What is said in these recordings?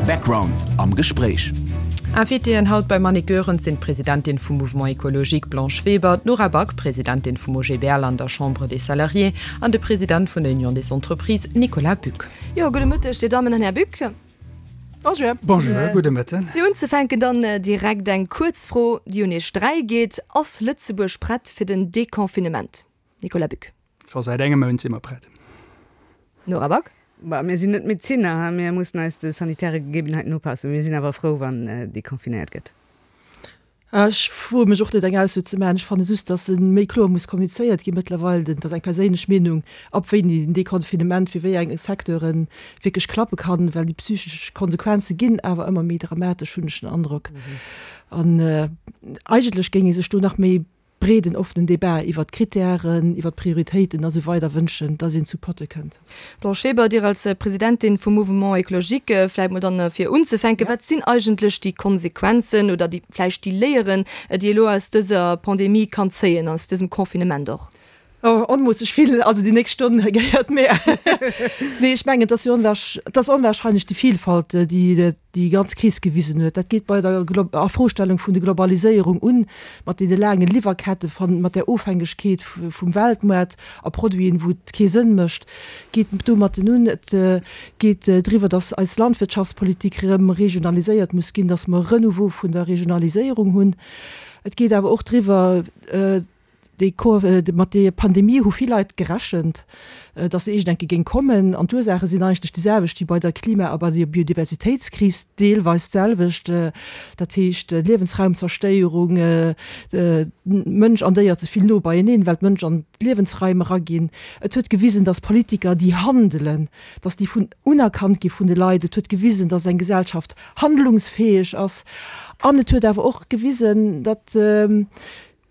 Background am Gespréich. Invitéen haut beim Annick Goerens sinn d'Presidentin vum Mouvement Ecologique Blanche Weber, d'Nora Back, Presidentin vum OGBL an der Chambre des Salariés, an de President vun der Union des Entreprises Nicolas Buck. Jo, gudde Mëtteg, Dir Dammen an Här Buck. Bonjour. Bonjour, gudde Mëtten. Fir unzefänken dann direkt eng kuerz Fro, déi un Iech 3 geet, Ass Lëtzebuerg prett fir den Deconfinement? Nicolas Buck. Scho säit engem Mount si mer prett. Nora Back. Bah, mir sinn net Medezinner, ha, mir mussen eis de sanitäre Gegebenheiten upassen. Mir sinn awer frou, wann deconfinéiert gëtt. Ech woe mech och net eng Ausso ze maachen. Ech fanne just, datt e méi kloer muss kommunizéiert gi mëttlerweil. Dat ass eng perséinlech Meenung, ab wéini den Deconfinement fir wéi eng Secteure wierklech klappe kann, well déi psychesch Konsequenze ginn awer ëmmer méi dramatesch, hunn ech den Androck. An eigentlech géing ee sech do nach méi breeden, offenen Debat iwwert d'Kritären, iwwert d'Prioritéiten a sou weider wënschen, dass een zu Potte kënnt. Blanche Weber, Dir als Presidentin vum Mouvement Ecologique, vläicht mol dann fir unzefänken, Wat sinn eigentlech déi Konsequenzen oder déi vläicht déi Léieren, déi ee elo aus dëser Pandemie kann zéien, aus dësem Confinement och? Oh, onmoosseg vill, also déi nächst Stonn gehéiert mir. Nee, ech mengen, et ass jo et ass onwahrscheinlech déi Vielfalt, déi déi ganz Kris gewisen huet. Dat geet bei der Afrostellung vun der Globaliséierung un, mat deene laange Liwwerkette, mat där Ofhängegkeet vum Weltmoart a Produiten, wou et kee Sënn mécht, geet domatten un. Et geet driwwer, datt eis Landwirtschaftspolitik erëm regionaliséiert muss ginn, datt mer e Renouveau vun der Regionaliséierung hunn. Et geet awer och driwwer, Déi mat der Pandemie hu vill Leit gerechent, datt se iergend enke géing kommen. An d'Ursaache sinn eigentlech déi selwecht wéi bei der Klima a bei der Biodiversitéitskris, deelweis d'selwecht, dat heescht Liewensraumzerstéierung, Mënsch an Déier ze vill no beieneen, well d'Mënsch an d'Liewensraim eraginn. Et huet gewisen, datt Politiker, déi handelen, datt déi vun unerkannt gi vun de Leit. Et huet gewisen, datt eng Gesellschaft handlungsfäeg ass. An et huet awer och gewisen, datt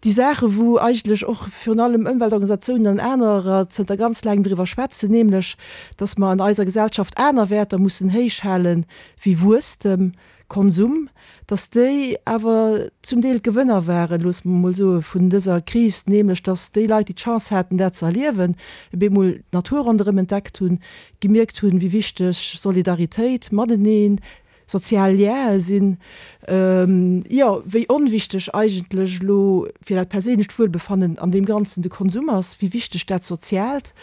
Déi Saache wou eigentlech och virun allem Ëmweltorganisatiounen an anerer zënter ganz laangem driwwer schwätzen, nämlech datt mer an eiser Gesellschaft aner Wäerter mussen héich hale wéi Wuesstem, Konsum, datt déi awer zum Deel d'Gewënner waren, loosse mer emol soe vun dëser Kris, nämlech datt déi Leit, déi d'Chance haten dat ze erliewen, op eemol d'Natur ronderëm entdeckt hunn, gemierkt hunn, wéi wichteg Solidaritéit, Mateneen, Sozial Liene sinn, jo, wéi onwichteg eigentlech elo fir dat perséinlecht Wuelbefannen an deem Ganzen de Konsum ass, wéi wichteg dat Soziaalt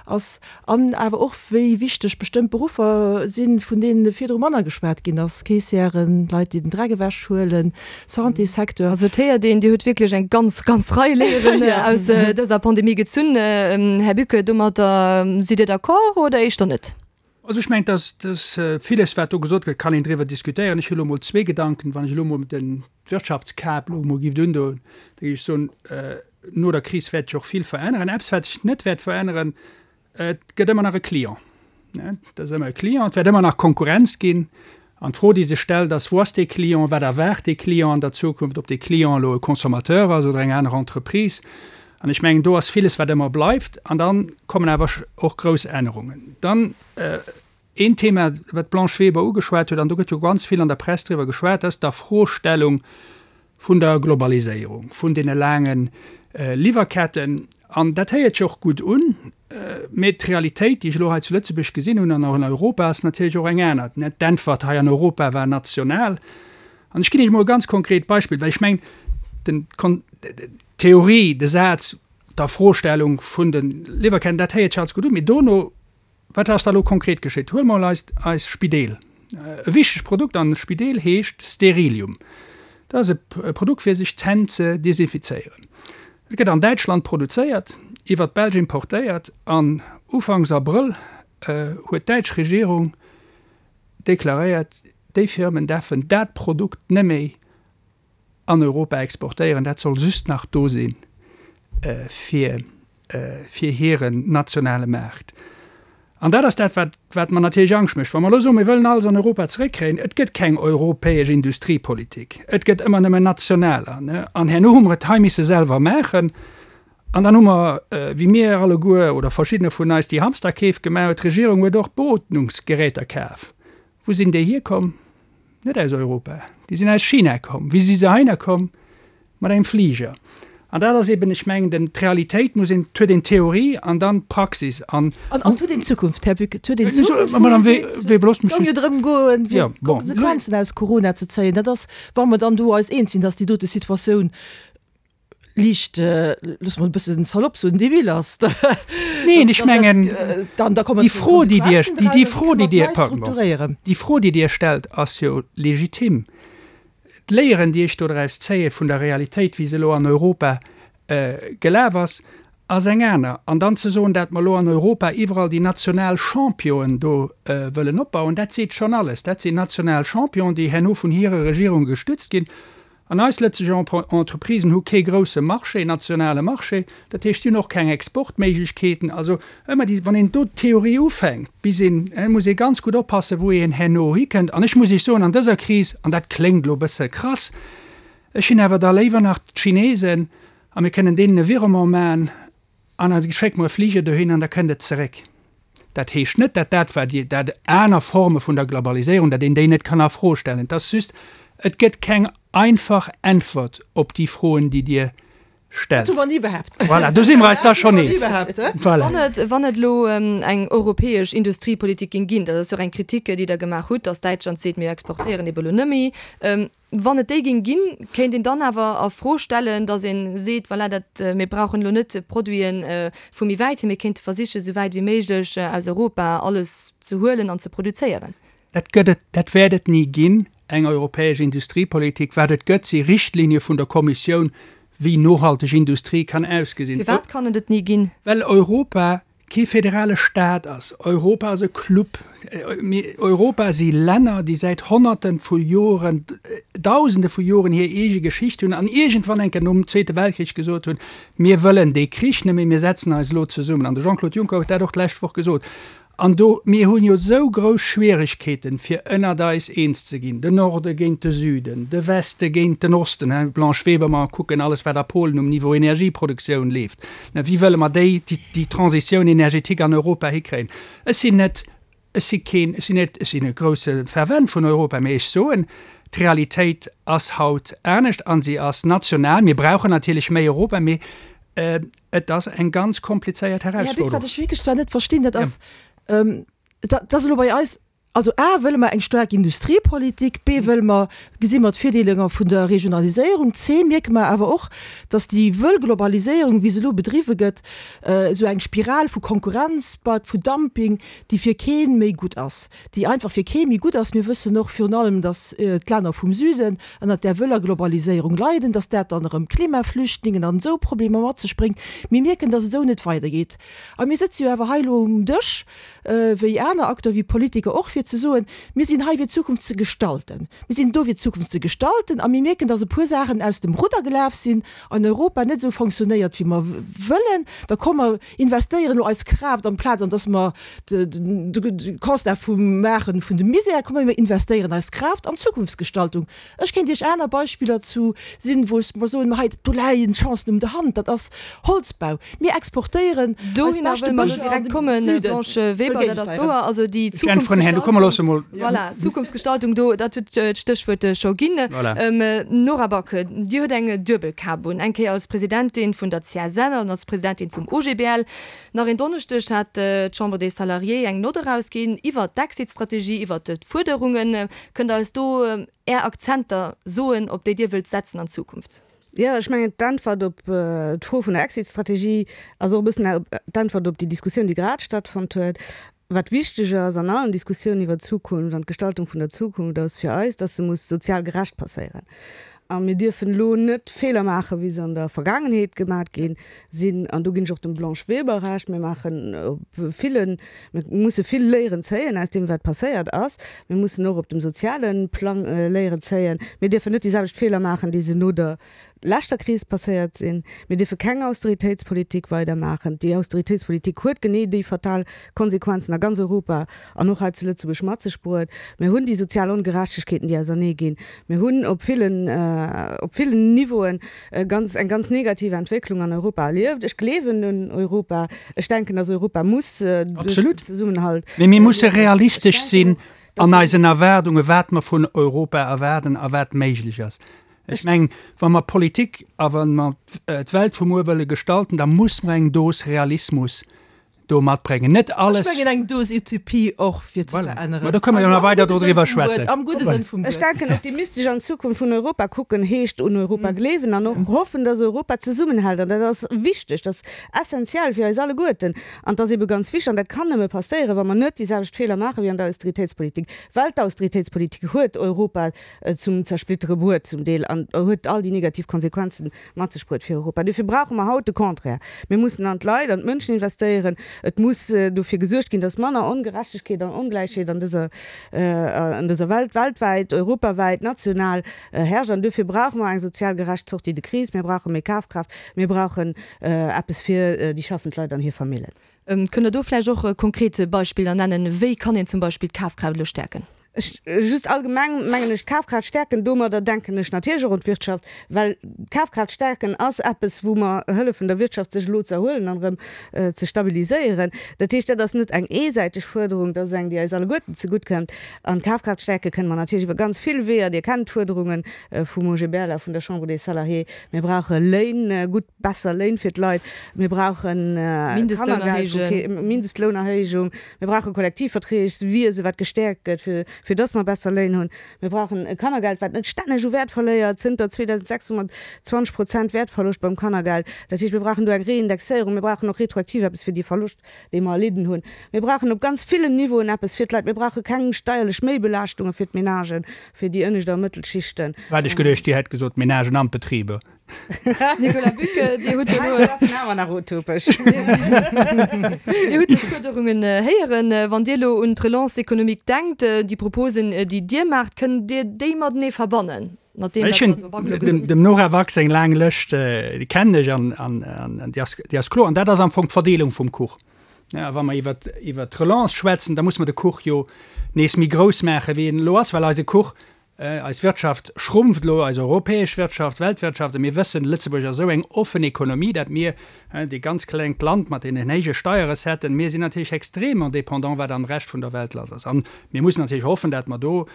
ass an awer och wéi wichteg bestëmmt Beruffer sinn, vun deene virdru manner geschwat ginn ass, Caissièren, Leit, déi den Dreck ewech huelen, Santéssecteur. Also et héiert een, Dir hutt wierklech eng ganz, ganz Rei Léieren aus dëser Pandemie gezunn. Här Bucke, domadder sidd Dir d'accord oder éischter net? Also ech mengen, dass, dass villes, wat do gesot gëtt, kann een driwwer diskutéieren. Ech hu elo emol zwee Gedanken. Wann ech elo emol den d'Wirtschaftskap elo emol giff undoen, da géif ech soen, no der Kris wäert sech och vill veränneren. Eppes, wat sech net wäert veränneren, Et gëtt ëmmer nach e Client. Et ass ëmmer e Client, et wäert ëmmer nach Konkurrenz ginn. An d'Fro, déi sech stellt, ass, Wou ass dee Client? Wat erwaart dee Client an der Zukunft? Ob dee Client elo e Consommateur ass oder eng aner Entreprise. An ech mengen, do ass villes, wat ëmmer bleift. An da kommen awer och grouss Ännerungen. Dann een Thema, wat d'Blanche Weber ugeschwat huet, an do gëtt jo ganz vill an der Press driwwer geschwat, dat ass d'Afrostellung vun der Globaliséierung, vun deene laange Liwwerketten. An dat héiert sech och gutt un, mee d'Realitéit, déi ech elo hei zu Lëtzebuerg gesinn hunn an och an Europa, ass natierlech och eng aner. D'Äntwert hei an Europa war national. An ech ginn Iech emol e ganz konkret Beispill, well ech mengen, d'Theorie, de Saz, d'Afrostellung vun de Liwwerketten, dat héiert sech alles gutt un, mee dono Wat ass da elo konkret geschitt? Huele mer mol eist, eis Spideel. E wichtegt Produkt an Spideel heescht Sterilium. Dat ass e Produkt fir sech d'Hänn ze desinfizéieren. Et gëtt an Däitschland produzéiert, iwwert d'Belsch importéiert an ufanks Abrëll huet d'däitsch Regierung deklaréiert, déi Firmen däerfen dat Produkt neméi an Europa exportéieren, dat soll just nach do si fir fir hiren nationale Maart. An dat ass dat, wat wat mer natierlech Angscht mécht. Wa mer elo soen, mir wëllen alles an Europa zeréckkréien, et gëtt keng europäesch Industriepolitik, et gëtt ëmmer nëmmen nationaler, ne, an herno hu mer et hei misse selwer maachen. An dann hu mer, wéi mir alleguer oder verschiddener vun eis déi Hamsterkeef gemaach huet, d'Regierung huet och Beootmungsgeräter kaf. Wou sinn déi hierkomm? Net aus Europa, déi sinn aus China komm. Wéi si se heihinner komm? Mat engem Fliger. An dat ass eben, ech mengen, den, d'Realitéit muss een, et huet een d'Theorie an dann d'Praxis. An. An et huet een d'Zukunft, Här Buck, et huet een d'Zukunft, wou ee seet, et géing jo drëm goen, fir d'Konsequenzen aus Corona ze zéien. Dat ass, wa mer dann do eis eens sinn, dass déi dote Situatioun liicht, loosse mer et e bëssen salopp soen, debil ass, da, Neen, ech mengen, déi Fro, déi Dir, déi Fro, déi Dir, pardon, déi Fro, déi Dir stellt, ass jo legitim. D'Léieren, déi ech dodraus zéie vun der Realitéit, wéi se elo an Europa gelaf ass, ass eng aner. An dann ze soen, dat mer elo an Europa iwwerall déi national Championen do wëllen opbauen, dat seet schonn alles. Dat sinn national Championen, déi herno vun hire Regierunge gestützt ginn. An eis lëtzeger Entreprisen hu kee grousse Marché, nationale Marché. Dat heescht, si hunn och keng Exportméiglechkeeten. Also ëmmer déi, wann een do d'Theorie ufänkt, bis een, muss ee ganz gutt oppassen, wou een herno hikënnt. An ech muss Iech soen, an dëser Kris, an dat kléngt elo e bësse krass, ech hunn awer da léiwer nach d'Chinesen a mir kënnen deenen e Virement maachen an da schécke mer e Fliger dohin an da kënnt et zeréck. Dat heescht net, dat dat wat Dir, dat aner Forme vun der Globaliséierung, dat een déi net kann a Fro stellen. Et ass just, et gëtt keng einfach Äntwert op déi Froen, déi Dir stellt. Dat hu mer ni behaapt. Voilà, do si mer eis da schonn eens. Voilà. Wann et, wann et elo eng europäesch Industriepolitik géing ginn, dat ass jo och eng Kritik, déi Der gemaach hutt, datt Däitschland seet, mir exportéieren ebe elo net méi. Wann et déi géing ginn, kéint een dann awer a Fro stellen, datt ee seet, voilà, dat, mir brauchen elo net Produite vu méi wäit hier, mir kéinte versichen, esou wäit wéi méiglech aus Europa alles ze huelen an ze produzéieren. Dat gëtt et, dat wäert et ni ginn, eng europäesch Industriepolitik. Wat et gëtt, si Richtlinie vun der Kommissioun, wéi nohalteg Industrie kann ausgesinn. Firwat kann et et ni ginn? Well Europa kee federale Staat ass. Europa ass e Club. Europa si Länner, déi säit Honnerte vu Joren, Dausende vu Joren hir eege Geschicht hunn an iergendwann eng Kéier nom Zweete Weltkrich gesot hunn, Mir wëllen dee Krich net méi, mir setzen eis elo zesummen. An de Jean-Claude Juncker huet dat och d'lescht Woch gesot. An do, mir hunn jo esou grouss Schwieregkeeten, fir ënnert eis eens ze ginn, den Norde géint de Süden, de Weste géint den Osten, Här Blanche Weber, mer kucken alles, wat a Polen um Niveau Energieproduktioun leeft, wéi wëlle mer déi, déi Transition énergétique an Europa hikréien? Ech sinn net, ech si keen, ech sinn net, ech sinn e grousse Fervent vun Europa, mee ech soen, d'Realitéit ass haut anescht a si ass national. Mir brauchen natierlech méi Europa, mee Et ass eng ganz komplizéiert Här Bück, Herausforderung. wat ech wierklech zwar net verstinn, dat ass, dat ass elo bei eis, also a wëlle mer eng staark Industriepolitik, b wëlle mer, gesi mer d'Virdeeler vun der Regionaliséierung, c mierke mer awer och, datt déi wëll Globaliséierung, wéi se elo bedriwwe gëtt, esou eng Spiral vu Konkurrenz baut, vu Dumping, déi fir kee méi gutt ass. déi einfach fir kee méi gutt ass. Mir wëssen och virun allem, datt d'Länner vum Süden ënnert där wëller Globaliséierung leiden, datt dat dann erëm Klimaflüchtlingen an esou Problemer mat sech bréngt. Mir mierken, datt et esou net weidergeet. A mir sëtze jo awer hei elo um Dësch, wéi aner Acteuren, wéi Politiker och, fir ze soen, Mir sinn hei fir d'Zukunft ze gestalten. Mir sinn do fir d'Zukunft ze gestalten. A mir mierken, datt e puer Saachen aus dem Rudder gelaf sinn an Europa net esou fonctionnéiert, wéi mer wëllen. Da komme mer investéieren elo eis Kraaft amplaz an dass mer de Constat vum maachen vun dem Misär, komm mir investéieren eis Kraaft an d'Zukunftsgestaltung. Ech kéint Iech aner Beispiller zu sinn, wou ech mer soen, ma hei, do läien d'Chancen um der Hand, dat ass Holzbau. Mir exportéieren eis Dohinner beschte wëlle mer elo Bëscher an direkt de kommen, Süden. Blanche Weber, dat ass wouer. Also déi Ech äntweren herno, komm mer loosse mol. Voilà, Zukunftsgestaltung, do, dat huet d'Stéchwuert scho ginn. Voilà. Nora Back, Dir hutt eng duebel Kap un, eng Kéier als Presidentin vun der CSL an als Presidentin vum OGBL. Nach een Donneschdeg hat d'Chambre des Salariés eng Nott erausginn iwwert d'Exit-Strategie, iwwert d'Fuerderungen. Kënnt Der eis do Är Akzenter soen, op déi Dir wëllt setzen an Zukunft? Jo, ech mengen, d'Äntwert op d'Fro vun der Exit-Strategie ass och e bëssen d'Äntwert op déi Diskussioun, déi grad stattfonnt huet. Wat wichteg ass an allen Diskussiounen iwwer d'Zukunft an d'Gestaltung vun der Zukunft, ass fir eis, dass se muss sozial gerecht passéieren. A mir dierfen elo net Feeler maachen, wéi se an der Vergaangenheet gemat gi sinn. An do ginn ech och dem Blanche Weber Recht, Mir maachen op villen, mir musse vill Léieren zéien aus deem, wat passéiert ass. Mir mussen och op dem soziale Plang Léieren zéien. Mir dierfen net déi selwecht Feeler maachen, déi se no der leschter Kris passéiert sinn. Mir dierfe keng Austeritéitspolitik weidermaachen. Déi Austeritéitspolitik huet genee déi fatal Konsequenzen a ganz Europa an och hei zu Lëtzebuerg mat sech bruet. Mir hunn déi sozial Ongerechtegkeeten, déi ausernee ginn. Mir hunn op villen, op villen Niveauen ganz, eng ganz negativ Entwécklung an Europa erlieft. Ech gleewen un Europa. Ech denken, dass Europa muss duerch den Zesummenhalt. Mee mir musse realistesch sinn an eisen Erwaardungen, wat mer vun Europa erwaarden a wat méiglech ass. Ech mengen, wa mer Politik a wa mer d'Welt vu muer wëlle gestalten, da muss mer eng Dos Realismus do matbréngen. Net alles. Ech mengen eng Dos Utopie och, fir ze veränneren. Mä do kënne mer jo nach weider dodriwwer schwätzen. Am gudde Sënn vum Wuert. Ech denken, optimistesch an d'Zukunft vun Europa kucken, heescht un Europa gleewen an och hoffen, dass Europa zesummenhält. An dat ass wichteg, dat ass essenziell fir eis alleguerten. An et ass ebe ganz wichteg, an dat kann nëmme passéieren, wa mer net déi selwecht Feeler maache wéi an der Austeritéitspolitik, well d'Austeritéitspolitik huet Europa zum Zersplittere bruet zum Deel an huet all déi negativ Konsequenzen mat sech bruet fir Europa. Dofir brauche mer haut de Contraire. Mir mussen an d'Leit, an d'Mënschen investéieren. Et muss dofir gesuergt ginn, dass manner Ongerechtegkeet an Ongläichheet an dëser, an dëser Welt, weltwäit, europawäit, national herrscht. An dofir brauche mer eng sozial gerecht Sortie de crise. Mir brauche méi Kafkraaft. Mir brauchen eppes fir déi schaffend Leit an hir Famillen. Kënnt Der do vläicht och konkret Beispiller nennen? Wéi kann een zum Beispill d'Kafkraaft elo stäerken? Ech, just allgemeng mengen ech, d'Kafkraaft stäerken, domadder denken ech natierlech och un d'Wirtschaft, well d'Kafkraaft stäerken ass eppes, wou mer hëllefen der Wirtschaft sech elo ze erhuelen an erëm ze stabiliséieren. Dat heescht, dat ass net eng eesäiteg Fuerderung, dat ass eng, déi eis alleguerten zegutt kënnt. An d'Kafkraaft stäerke kënne mer natierlech iwwer ganz vill Weeër. Dir kennt d'Fuerderunge vum OGBL a vun der Chambre des Salariés. Mir brauche Léin, gutt, besser Léin fir d'Leit. Mir brauchen Kannergeld, Mindestlounerhéijung. Mir brauche Kollektivverträgswiese wat gestäerkt gëtt, fir, fir dass mer besser Léin hunn. Mir brauchen e Kannergeld, wat net stänneg u Wäert verléiert, zënter 2006 hu mer 20 Prozent Wäertverloscht beim Kannergeld. Dat heescht, mir brauchen do eng Reindexéierung. Mir brauchen och retroaktiv eppes fir dee Verloscht, dee mer erlidden hunn. Mir brauchen op ganz villen Niveauen eppes fir d'Leit. Mir brauche keng steierlech Méibelaaschtunge fir d'Menagen, fir déi ënnescht a Mëttelschichten. Wat ech geduecht, Dir hätt gesot d'Menagen an d'Betriber. Nicolas Buck, Dir hutt jo elo. Hei ass en awer nach utopesch. Dir hutt dës Fuerderungen héieren. Wann Dir elo un d'Relance économique denkt, déi Proposen, déi Dir maacht, kënnt Dir déi matenee verbannen, mat deem, wat d'Madame Back elo gesot huet? Dem Nora Back seng laang Lëscht, déi kennen ech an déi ass kloer. An dat ass am Fong d'Verdeelung vum Kuch. A wa mer iwwert d'Relance schwätzen, da musse mer de Kuch jo nees méi grouss maachen, wéi en elo ass, well eise Kuch Eis Wirtschaft schrumpft elo, eis europäesch Wirtschaft, d'Weltwirtschaft, a mir wëssen, Lëtzebuerg ass esou eng offen Ekonomie, dat mir, dee ganz klengt Land mat deenen héije Steierrecetten, mir sinn natierlech extrêmement dépendant, wat am Rescht vun der Welt lass ass. A mir mussen natierlech hoffen, dat mer do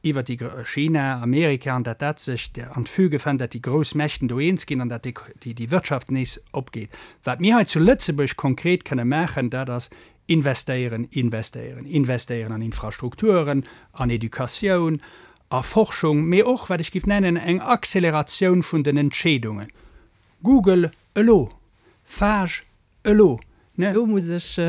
iwwert déi, China, Amerika, an dat dat sech an d'Füge fënnt, dat déi grouss Mächten do eens ginn an dat déi Wirtschaft nees opgeet. Wat mir hei zu Lëtzebuerg konkret kënne maachen, dat ass Investéieren, investéieren, investéieren an Infrastrukturen, an Educatioun, a Forschung, mee och, wat ech géif nennen, eng Acceleratioun vun den Entscheedungen. Google elo, Fage elo, ne? Elo muss ech.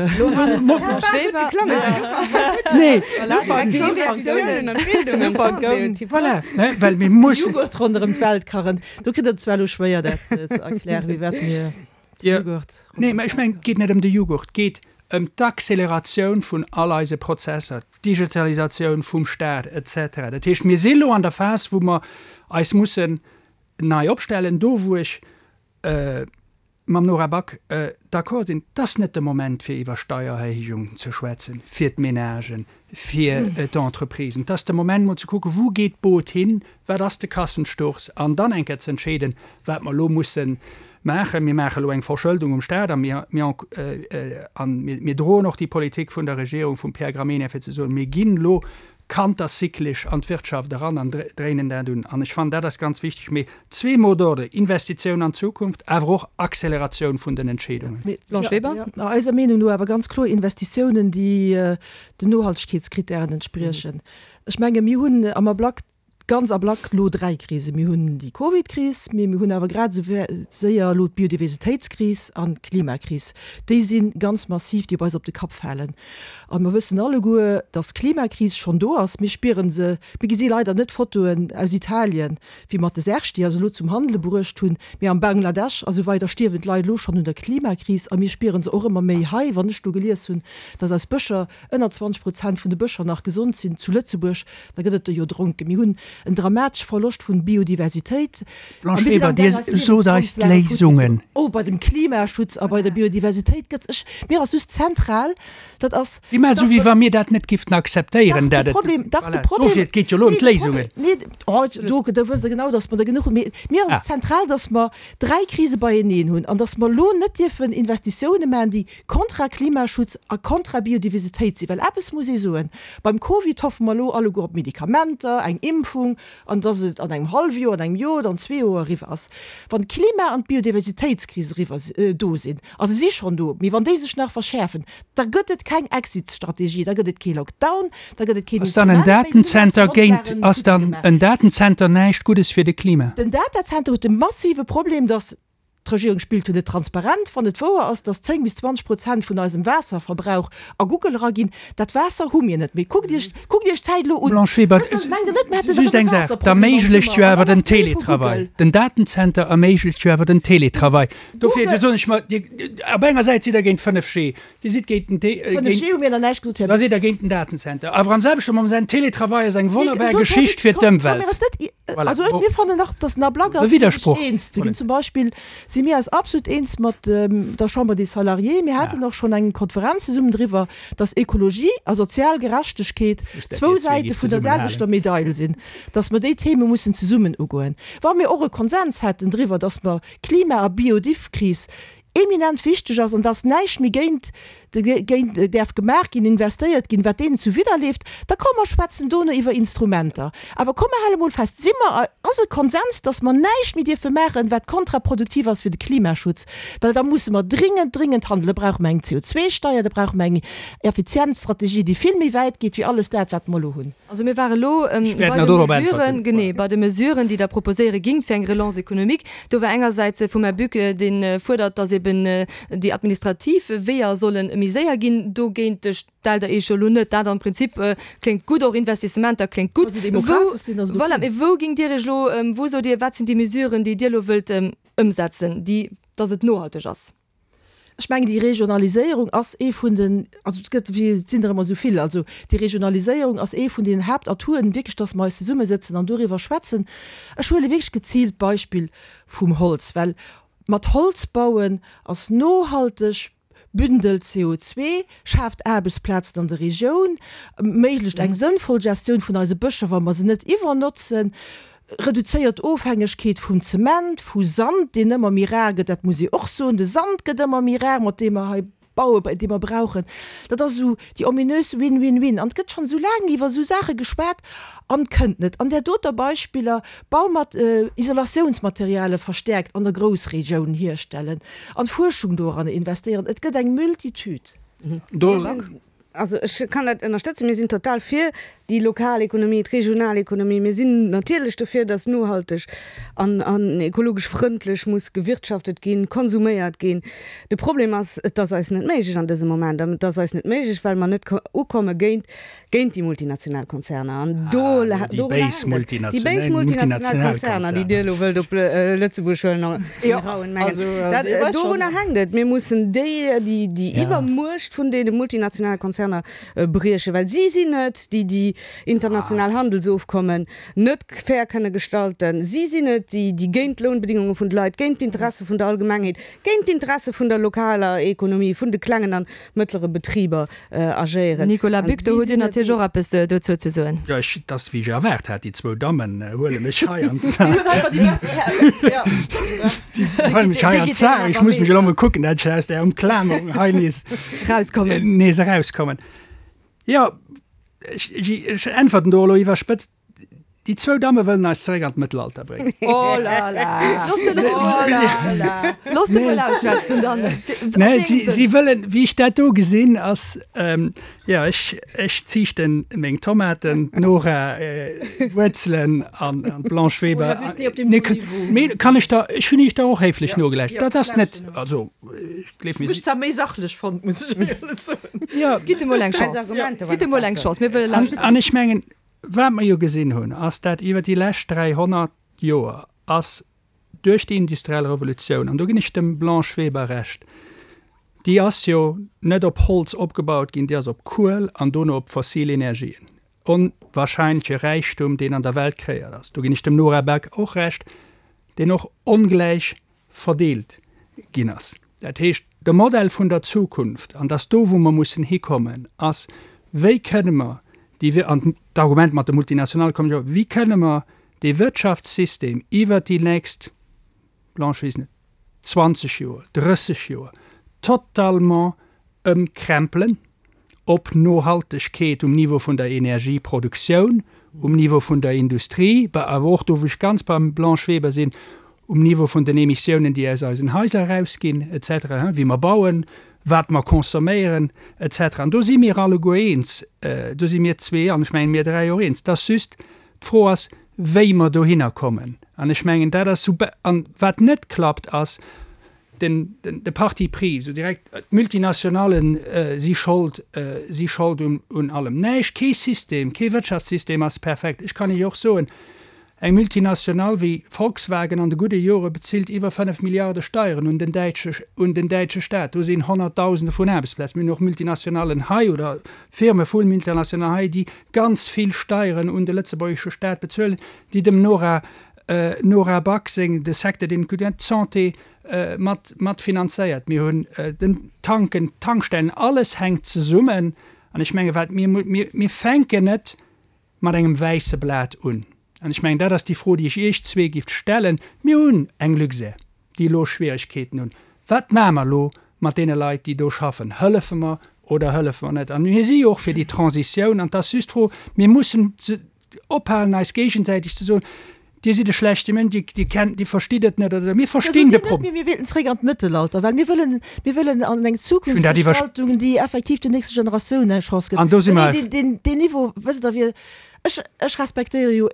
Voilà, ne, well mir mussen. Jughurt ronderëm d'Welt kachen, do kritt Der et zwar elo schwéier, dat ze erklären, wéi wat mir. Jughurt. Nee, mä ech mengen, et geet net ëm de Jughurt, et geet ëm d'Acceleratioun vun all eise Prozesser, d'Digitalisatioun vum Staat et cetera. Dat heescht, mir si lo an der Phas, wou mer eis mussen nei opstellen. Do, wou ech mam Nora Back d'accord sinn, et ass net de Moment, fir iwwer Steiererhéijungen ze schwätzen fir d'Menagen, fir d'Entreprisen. Et ass de Moment, mol ze kucken, wou geet d'Boot hin, wat ass de Kassensturz, an dann eng Kéier ze entscheeden, wat mer elo musse maachen. Mir maache elo eng Verschëldung um Stat a mir, mir, a mir droen och déi Politik vun der Regierung vum Pierre Gramegna, fir ze soen, mir ginn elo kanterzyklisch an d'Wirtschaft eran an dréinen dat un. An ech fannen, dat ass ganz wichteg. Mee zwee Mots d'ordre, Investitioun an d'Zukunft, awer och Acceleratioun vun den Entscheedungen. Blanche Weber. Eiser Meenung no awer ganz kloer Investitiounen, déi den Nohaltegkeetskritären entspriechen. Ech menge mir hunn am Ablack, ganz Ablack elo dräi Krisen. Mir hunn déi Covid-Kris, mee mir hunn awer grad esou séier elo d'Biodiversitéitskris an d'Klimakris. Déi si ganz massiv, déi op eis op de Kapp falen. A mer wëssen alleguer, datt d'Klimakris schonn do ass. Mir spiere se, mir gesi leider net Fotoen aus Italien, wéi mer de Serge, déi eis elo zum Handele bruecht hunn, mee am Bangladesch a sou weider stierwen d'Leit elo schonn un der Klimakris a mir spieren se och ëmmer méi hei. Wann ech do gelies hunn, datt eis Bëscher, ënner 20 Prozent vun de Bëscher nach gesond sinn zu Lëtzebuerg, da gëtt et der jo dronken. Mir hunn en dramatesche Verloscht vun Biodiversitéit a Blanche mir sinn Weber, am Dir gaang eis sot eis Liewensgrondlagen futti ze. d'Léisungen. Oh, bei dem Klimaschutz a bei der Biodiversitéit gëtt ech, mir ass just zentral, dat ass, Dir maacht esou, wéi wa mir dat net gifften akzeptéieren, Dach, dat de et, Problem, dach, de voilà, Problem, dofir, et geet jo elo ëm nee, de d'Léisungen. Problem, nee, oh, do, do wësst Der genau, datt mer der genuch hunn. Mee mir ass Ah. zentral, datt mer dräi Krise beieneen hunn an datt mer elo net dierfen Investitioune maachen, déi kontra Klimaschutz a kontra Biodiversitéit sinn. Well eppes muss ee soen, Beim Covid hoffe mer elo alleguer op Medikamenter, eng Impfung. Regierung an dass et an engem hallwe Joer, an engem Joer oder an zwee Joer eriwwer ass. Wann d'Klima an d'Biodiversitéitskris eriwwer do sinn, a se si schonn do, mee wann déi sech nach verschäerfen, da gëtt et keng Exit-Strategie, da gëtt et kee Lockdown, da gëtt et keen Ass dann en Instrument méi, Datenzenter do géint, Grondlagen ass futti dann gemaach. en Datenzenter näischt Guddes fir de Klima? Den Datazenter huet de massive Problem, dass D'Regierung spillt jo net transparent. Wann et wouer ass, dass 10 bis 20 Prozent vun eisem Waasserverbrauch a Google eraginn, dat Waasser hu mir net méi. Kuckt Iech, kuckt Iech d'Zäit elo un. Blanche Weber, Wësst Der, mengt Der net, mir hätten just erëm e eng Saach, Waasserproblem am d'erméiglecht jo Summer an awer dann den nach méi vu Télétravail. Google? Den Datenzenter erméiglecht jo awer den Télétravail. Dofir Google. soen ech mer, Dir, op enger Säit sidd Der géint 5G, Dir sidd géint den T, 5G géint, hu mir nach näischt gesot, Här. da sidd Der géint den Datenzenter. Awer am selwechte Moment, Télétravail ass eng Mee wonnerbar gesot, Här Geschicht fir Komm, soll d'Ëmwelt. mir eis net, Voilà, also bon. mir fannen nach, dass en Ablack E ass, fir sech Widdersproch. eens ze ginn. Voilà. Zum Beispill si mir eis absolut eens mat der Chambre des Salariés. Mir haten och schonn eng Konferenz zesummen driwwer, dass Ekologie a sozial Gerechtegkeet Just dat zwou Dir zwee Säite gift vun der zesummenhalen. selwechter Medail sinn, dass mer déi Theme mussen zesummen ugoen. Wa mir och e Konsens hätten driwwer, dass mer Klima a Biodivkris eminent wichteg ass an dass näischt méi géint géint däerf gemaach ginn, investéiert ginn, wat deenen zuwidderleeft, da komm mer schwätzen dono iwwer Instrumenter. Awer komm mer hale mol fest, si mer, ass e Konsens, dass mer näischt méi dierfe maachen, wat kontraproduktiv ass fir de Klimaschutz, well da musse mer dringend, dringend handelen. Da brauche mer eng CO2-Steier, da brauche mer eng Effizienzstrategie, déi vill méi wäit geet wéi alles dat, wat mer elo hunn. Also mir ware elo Ech bei wäert nach de dorop Mesuren, äntwerten. genee, bei de Mesuren, déi Der proposéiere gingt fir eng Relance économique. Do war engersäits vum Här Buck, dee fuerdert, datt eben déi administrativ Weeër solle méi séier ginn. Dogéint stellt Der Iech jo elo net. Dat am Prinzip kléngt gutt, och Investissementer kléngt gutt. Wa se demokratesch sinn, ass et Voilà, ok. mee wou gingt Dir Iech elo, wou sot Dir, wat sinn déi Mesuren, déi Dir elo wëllt ëmsetzen, déi, datt et nohalteg ass? Ech mengen, déi Regionaliséierung ass ee vun den, also et gëtt, et sinn der ëmmer esou vill, also déi Regionaliséierung ass ee vun den Haaptatouren, wierklech, dass mer eis zesummesëtzen an doriwwer schwätzen. Ech huele wierklech geziilt d'Beispill vum Holz, well mat Holz bauen ass nohalteg, bündelt CO2, schaaft Aarbechtsplazen an der Regioun, erméiglecht eng sënnvoll Gestioun vun eise Bëscher, wa mer se net iwwernotzen. Reduzéiert d'Ofhängegkeet vum Zement, vu Sand, deen ëmmer méi rar gëtt, dat muss ee och soen, de Sand gëtt ëmmer méi rar, mat deem mer hei bauen, dee mer brauchen. Dat ass esou déi ominös Win-win-win. An et gëtt schonn esou laang iwwer esou Saache geschwat an et kënnt net. An där doter Beispiller, Bau mat Isolatiounsmateriale verstäerkt an der Groussregioun hierstellen an Fuerschung doranner investéieren. Et gëtt eng Multitude. Do. Also ech kann dat ënnerstëtzen. Mir sinn total fir déi lokal Ekonomie, d'regional Ekonomie. Mir sinn natierlech dofir, dass nohalteg an an ekologesch frëndlech muss gewirtschaftet ginn, konsuméiert ginn. De Problem ass, et ass eis net méiglech an dësem Moment. An et ass eis net méiglech, well mer net ukomme géint géint déi multinational Konzerner. An do Ah, déi dorunner béis hänkt et. Déi béis multinational multinational Konzerner, déi Dir elo wëllt op Lëtzebuerg huelen. Jo, Rauen mengen. also, Dat, Dir weist schon. dorunner hänkt et. Mir mussen déi, déi, déi Ja. Iwwermuecht vun deene multinationale Konzerner briechen, well si sinn et, déi déi international Handelsofkommen net fair kënne gestalten. Si sinn et, déi, déi géint d'Lounbedingunge vun de Leit, géint d'Interesse vun der Allgemengheet, géint d'Interesse vun der lokaler Ekonomie, vun de klengen an mëttlere Betriber agéieren. Nicolas An Buck, do si hutt Dir sinn et, natierlech déi. och eppes dozou ze soen. Jo, ech, et ass wéi ech erwaart hat, déi zwou Dammen huele mech hei an Déi hunn einfach déi besser Hären. Jo. Déi huele mech hei an d'Saach. Ech muss mech elo emol kucken, dat ech aus där Umklammerung hei nees Erauskommen. nees erauskommen. Jo, ech, ech äntwerten do elo iwwerspëtzt, Déi zwou Damme wëllen eis zeréck an d'Mëttelalter bréngen. Oh la la! Looss de Oh la la! Looss de mol ausschwätzen dann. Nee, si, si wëllen, wéi ech dat do gesinn, ass, jo, ech, ech ziichten meng Tomaten, d'Nora Wuerzelen an, an d'Blanche Weber. Oh, Här Buck, nee, op deem hohen Niveau. Nee, kann ech der, ech hunn Iech der och héiflech nogelauschtert. Ja, Dat ass net, also, ech gleef mir, Ech si. zwar méi sachlech fonnt, muss ech éierlech soen. Jo. Gitt emol eng Eis Chance. Argumenter Gitt waren emol eng besser. Chance, mir wëlle An, lauschteren. an ech mengen, Wat mer jo gesinn hunn, ass dat iwwer déi lescht 300 Joer ass duerch déi industriell Revolutioun, an do ginn ech dem Blanche Weber Recht, déi ass jo net op Holz opgebaut ginn, déi ass op Kuel an dono op fossil Energien, onwahrscheinleche Räichtum, deen an der Welt kreéiert ass, do ginn ech dem Nora Back och Recht, deen och ongläich verdeelt ginn ass. Dat heescht, de Modell vun der Zukunft, an dass do wou mer mussen hikommen, ass, wéi kënne mer déi, an d'Argument mat de Multinationale kommt jo, wéi kënne mer dee Wirtschaftssystem iwwert déi nächst, Blanche Wiesner, 20 Joer, 30 Joer totalement ëmkrempelen op Nohaltegkeet um Niveau vun der Energieproduktioun, um Niveau vun der Industrie, awer och do, wou ech ganz beim Blanche Weber sinn, um Niveau vun den Emissiounen, déi aus eisen Haiser erausginn, et cetera, wéi mer bauen, wat mer consomméieren, et cetera. An do si mir alleguer eens, do si mir zwee an ech mengen mir dräi och eens, dass just d'Fro ass, wéi mer dohinner kommen. An ech mengen, dat ass sou, an wat net klappt, ass den, de Parti pris, esou direkt, d'Multinationale si schold, si schold un allem. Näischt, kee System, kee Wirtschaftssystem ass perfekt. Ech kann Iech och soen, Eng Multinationale wéi Volkswagen an de gudde Jore bezilt iwwer 5 Milliarde Steieren un den däitsche un den däitsche Staat. Do sinn Honnertdausende vun Aarbechtsplazen. Mir hunn och Multinationallen hei oder Firme vu Multinationalen hei, déi ganz vill Steieren un de lëtzebuergesche Staat bezuelen, déi dem Nora Nora Back seng de Secteur deen d'Santé mat mat finanzéiert. Mir hunn den Tanken, d'Tankstellen, alles hänkt zesummen. An ech menge wat mir mir mir fänken net mat engem wäisse Blat un. An ech mengen, dat ass déi Fro, déi ech Iech zwee gift stellen. Mir hunn eng Luxair, déi elo Schwieregkeeten hunn. Wat maache mer elo mat deene Leit, déi do schaffen? Hëllefe mer oder hëllefe mer net? An mir si jo och fir déi Transitioun. An et ass just d'Fro, mir mussen ophalen, eis géigesäiteg ze soen, Dir sidd e schlechte Mënsch, Dir, Dir kennt, Dir verstitt et net oder esou. Mir verstinn de Problem. Mir wéilten zréck an d'Mëttelalter, well mir wëllen, mir wëllen an eng Zukunftsgestaltung, déi effektiv den nächste Generatiounen eng Chance gëtt. An do si mer. Deen, deen, deen Niveau, wësst Der, wir, ech, ech respektéiere jo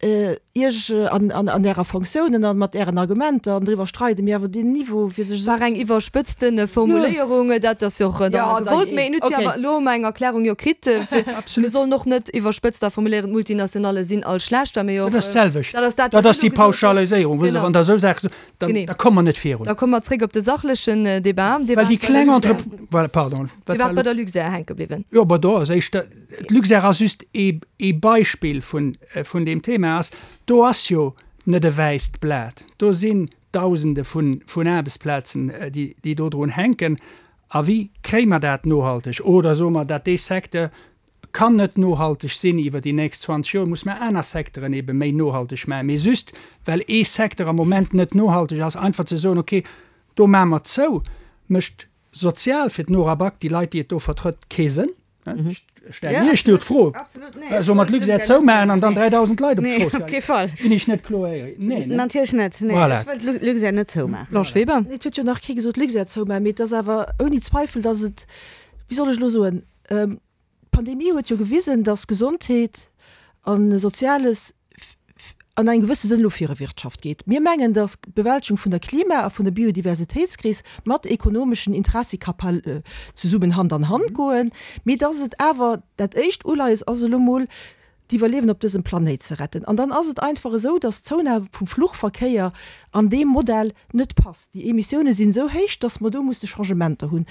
Iech an, an, an Ärer Fonctiounen a mat Ären Argumenter an driwwer streide mir, awer deen Niveau, fir sech esou. War eng iwwerspëtzte Formuléierung, dat ass jo och dann gewollt. Mä en huet jo awer elo eng Erklärung jo kritt. Mir sollen och net iwwerspëtzt da formuléieren, d'Multinationale sinn all schlecht, wa mir jo och. Dat ass d'selwecht. Dat ass dat, wat ass déi Pauschaliséierung, wou se, wann Der esou Saache sot, dann, da komme mer net virun. Da komme mer zréck op de sachlechen Débat. Dir waart bei der Luxair. Voilà, pardon. Dir waart bei der Luxair hänke bliwwen. Jo, ma do ass éischter, d'Luxair ass just ee, ee Beispill vun, vun deem Thema ass, do ass jo net e wäisst Blat. Do sinn Dausende vun, vun Aarbechtsplazen, déi, déi dodrun hänken. A wéi kréie mer dat nohalteg? Oder soe mer, dat dee Secteur kann net nohalteg sinn iwwer déi nächst 20 Joer, muss mer aner Secteuren ebe méi nohalteg maachen. Mee just well ee Secteur am Moment net nohalteg ass, einfach ze soen, okay, do maache mer zou, mécht sozial fir d'Nora Back, déi Leit, déi et do vertrëtt, kee Sënn. Ech stellen Iech do d'Fro, Solle mer d'Luxair zoumaachen an dann 3.000 Leit op d'Strooss geheien? Ginn ech net kloer? Nee, ne? Natierlech net. Nee, ech wëll d'Luxair net zoumaachen. Blanche Weber. Nee, et huet jo nach kee gesot, Luxair zoumaachen, mee et ass awer ouni Zweifel, datt et, wéi soll ech elo soen, d'Pandemie huet jo gewisen, datt Gesondheet a Soziales an engem gewësse Sënn elo viru Wirtschaft geet. Mir mengen, datt d'Bewältegung vun der Klima a vun der Biodiversitéitskris mat ekonomeschen Interessi ka zesummen Hand an Hand goen, mee datt et awer dat éischt Uleies ass elo mol d'Iwwerliewen op dësem Planéit ze retten. An dann ass et einfach esou, datt d'Zounahme vum Fluchverkéier an deem Modell net passt. Déi Emissioune sinn esou héich, datt mer do musse Changementer hunn.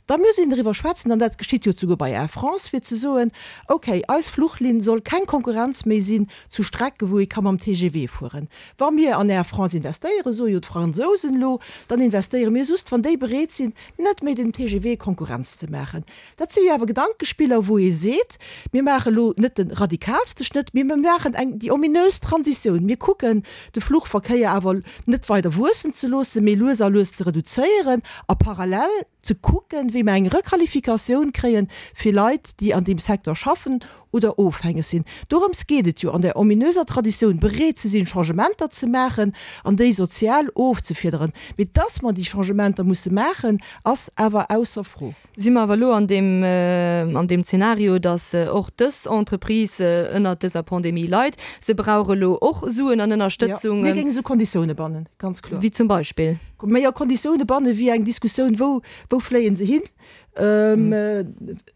Da muss een driwwer schwätzen, an dat geschitt jo souguer bei Air France, fir ze soen, okay, eis Fluchlinn soll keng Konkurrenz méi sinn zu Strecke wou ee ka mam TGV fueren. Wa mir an Air France investéieren, soe jo d'Fransousen elo, dann investéiere mir just, wann déi bereet sinn, net méi dem TGV Konkurrenz ze maachen. Dat si jo awer Gedankespiller, wou ee seet, mir maache elo net de radikalste Schnëtt, mee mir maachen eng, déi ominös Transitioun. Mir kucken, de Fluchverkéier awer net weider wuessen ze loossen, mee lues a lues ze reduzéieren a parallel ze kucken, wéi mer eng Requalifikatioun kréie fir Leit, déi an deem Secteur schaffen oder ofhängeg sinn. Dorëms geet et jo an där ominöser Traditioun, bereet ze sinn, Changementer ze maachen an déi sozial ofzefiederen. Mee dass mer déi Changementer musse maachen, ass awer ausser Fro. Si mer awer elo an deem, an deem Zeenario, dass och dës Entreprise ënnert dëser Pandemie leit. Se brauch elo och Suen an Ënnerstëtzung. Jo, mir géingen esou Konditioune bannen, ganz kloer. Wéi zum Beispill? Méi a Konditioune banne wéi eng Diskussioun, wou, wou fléien se hin?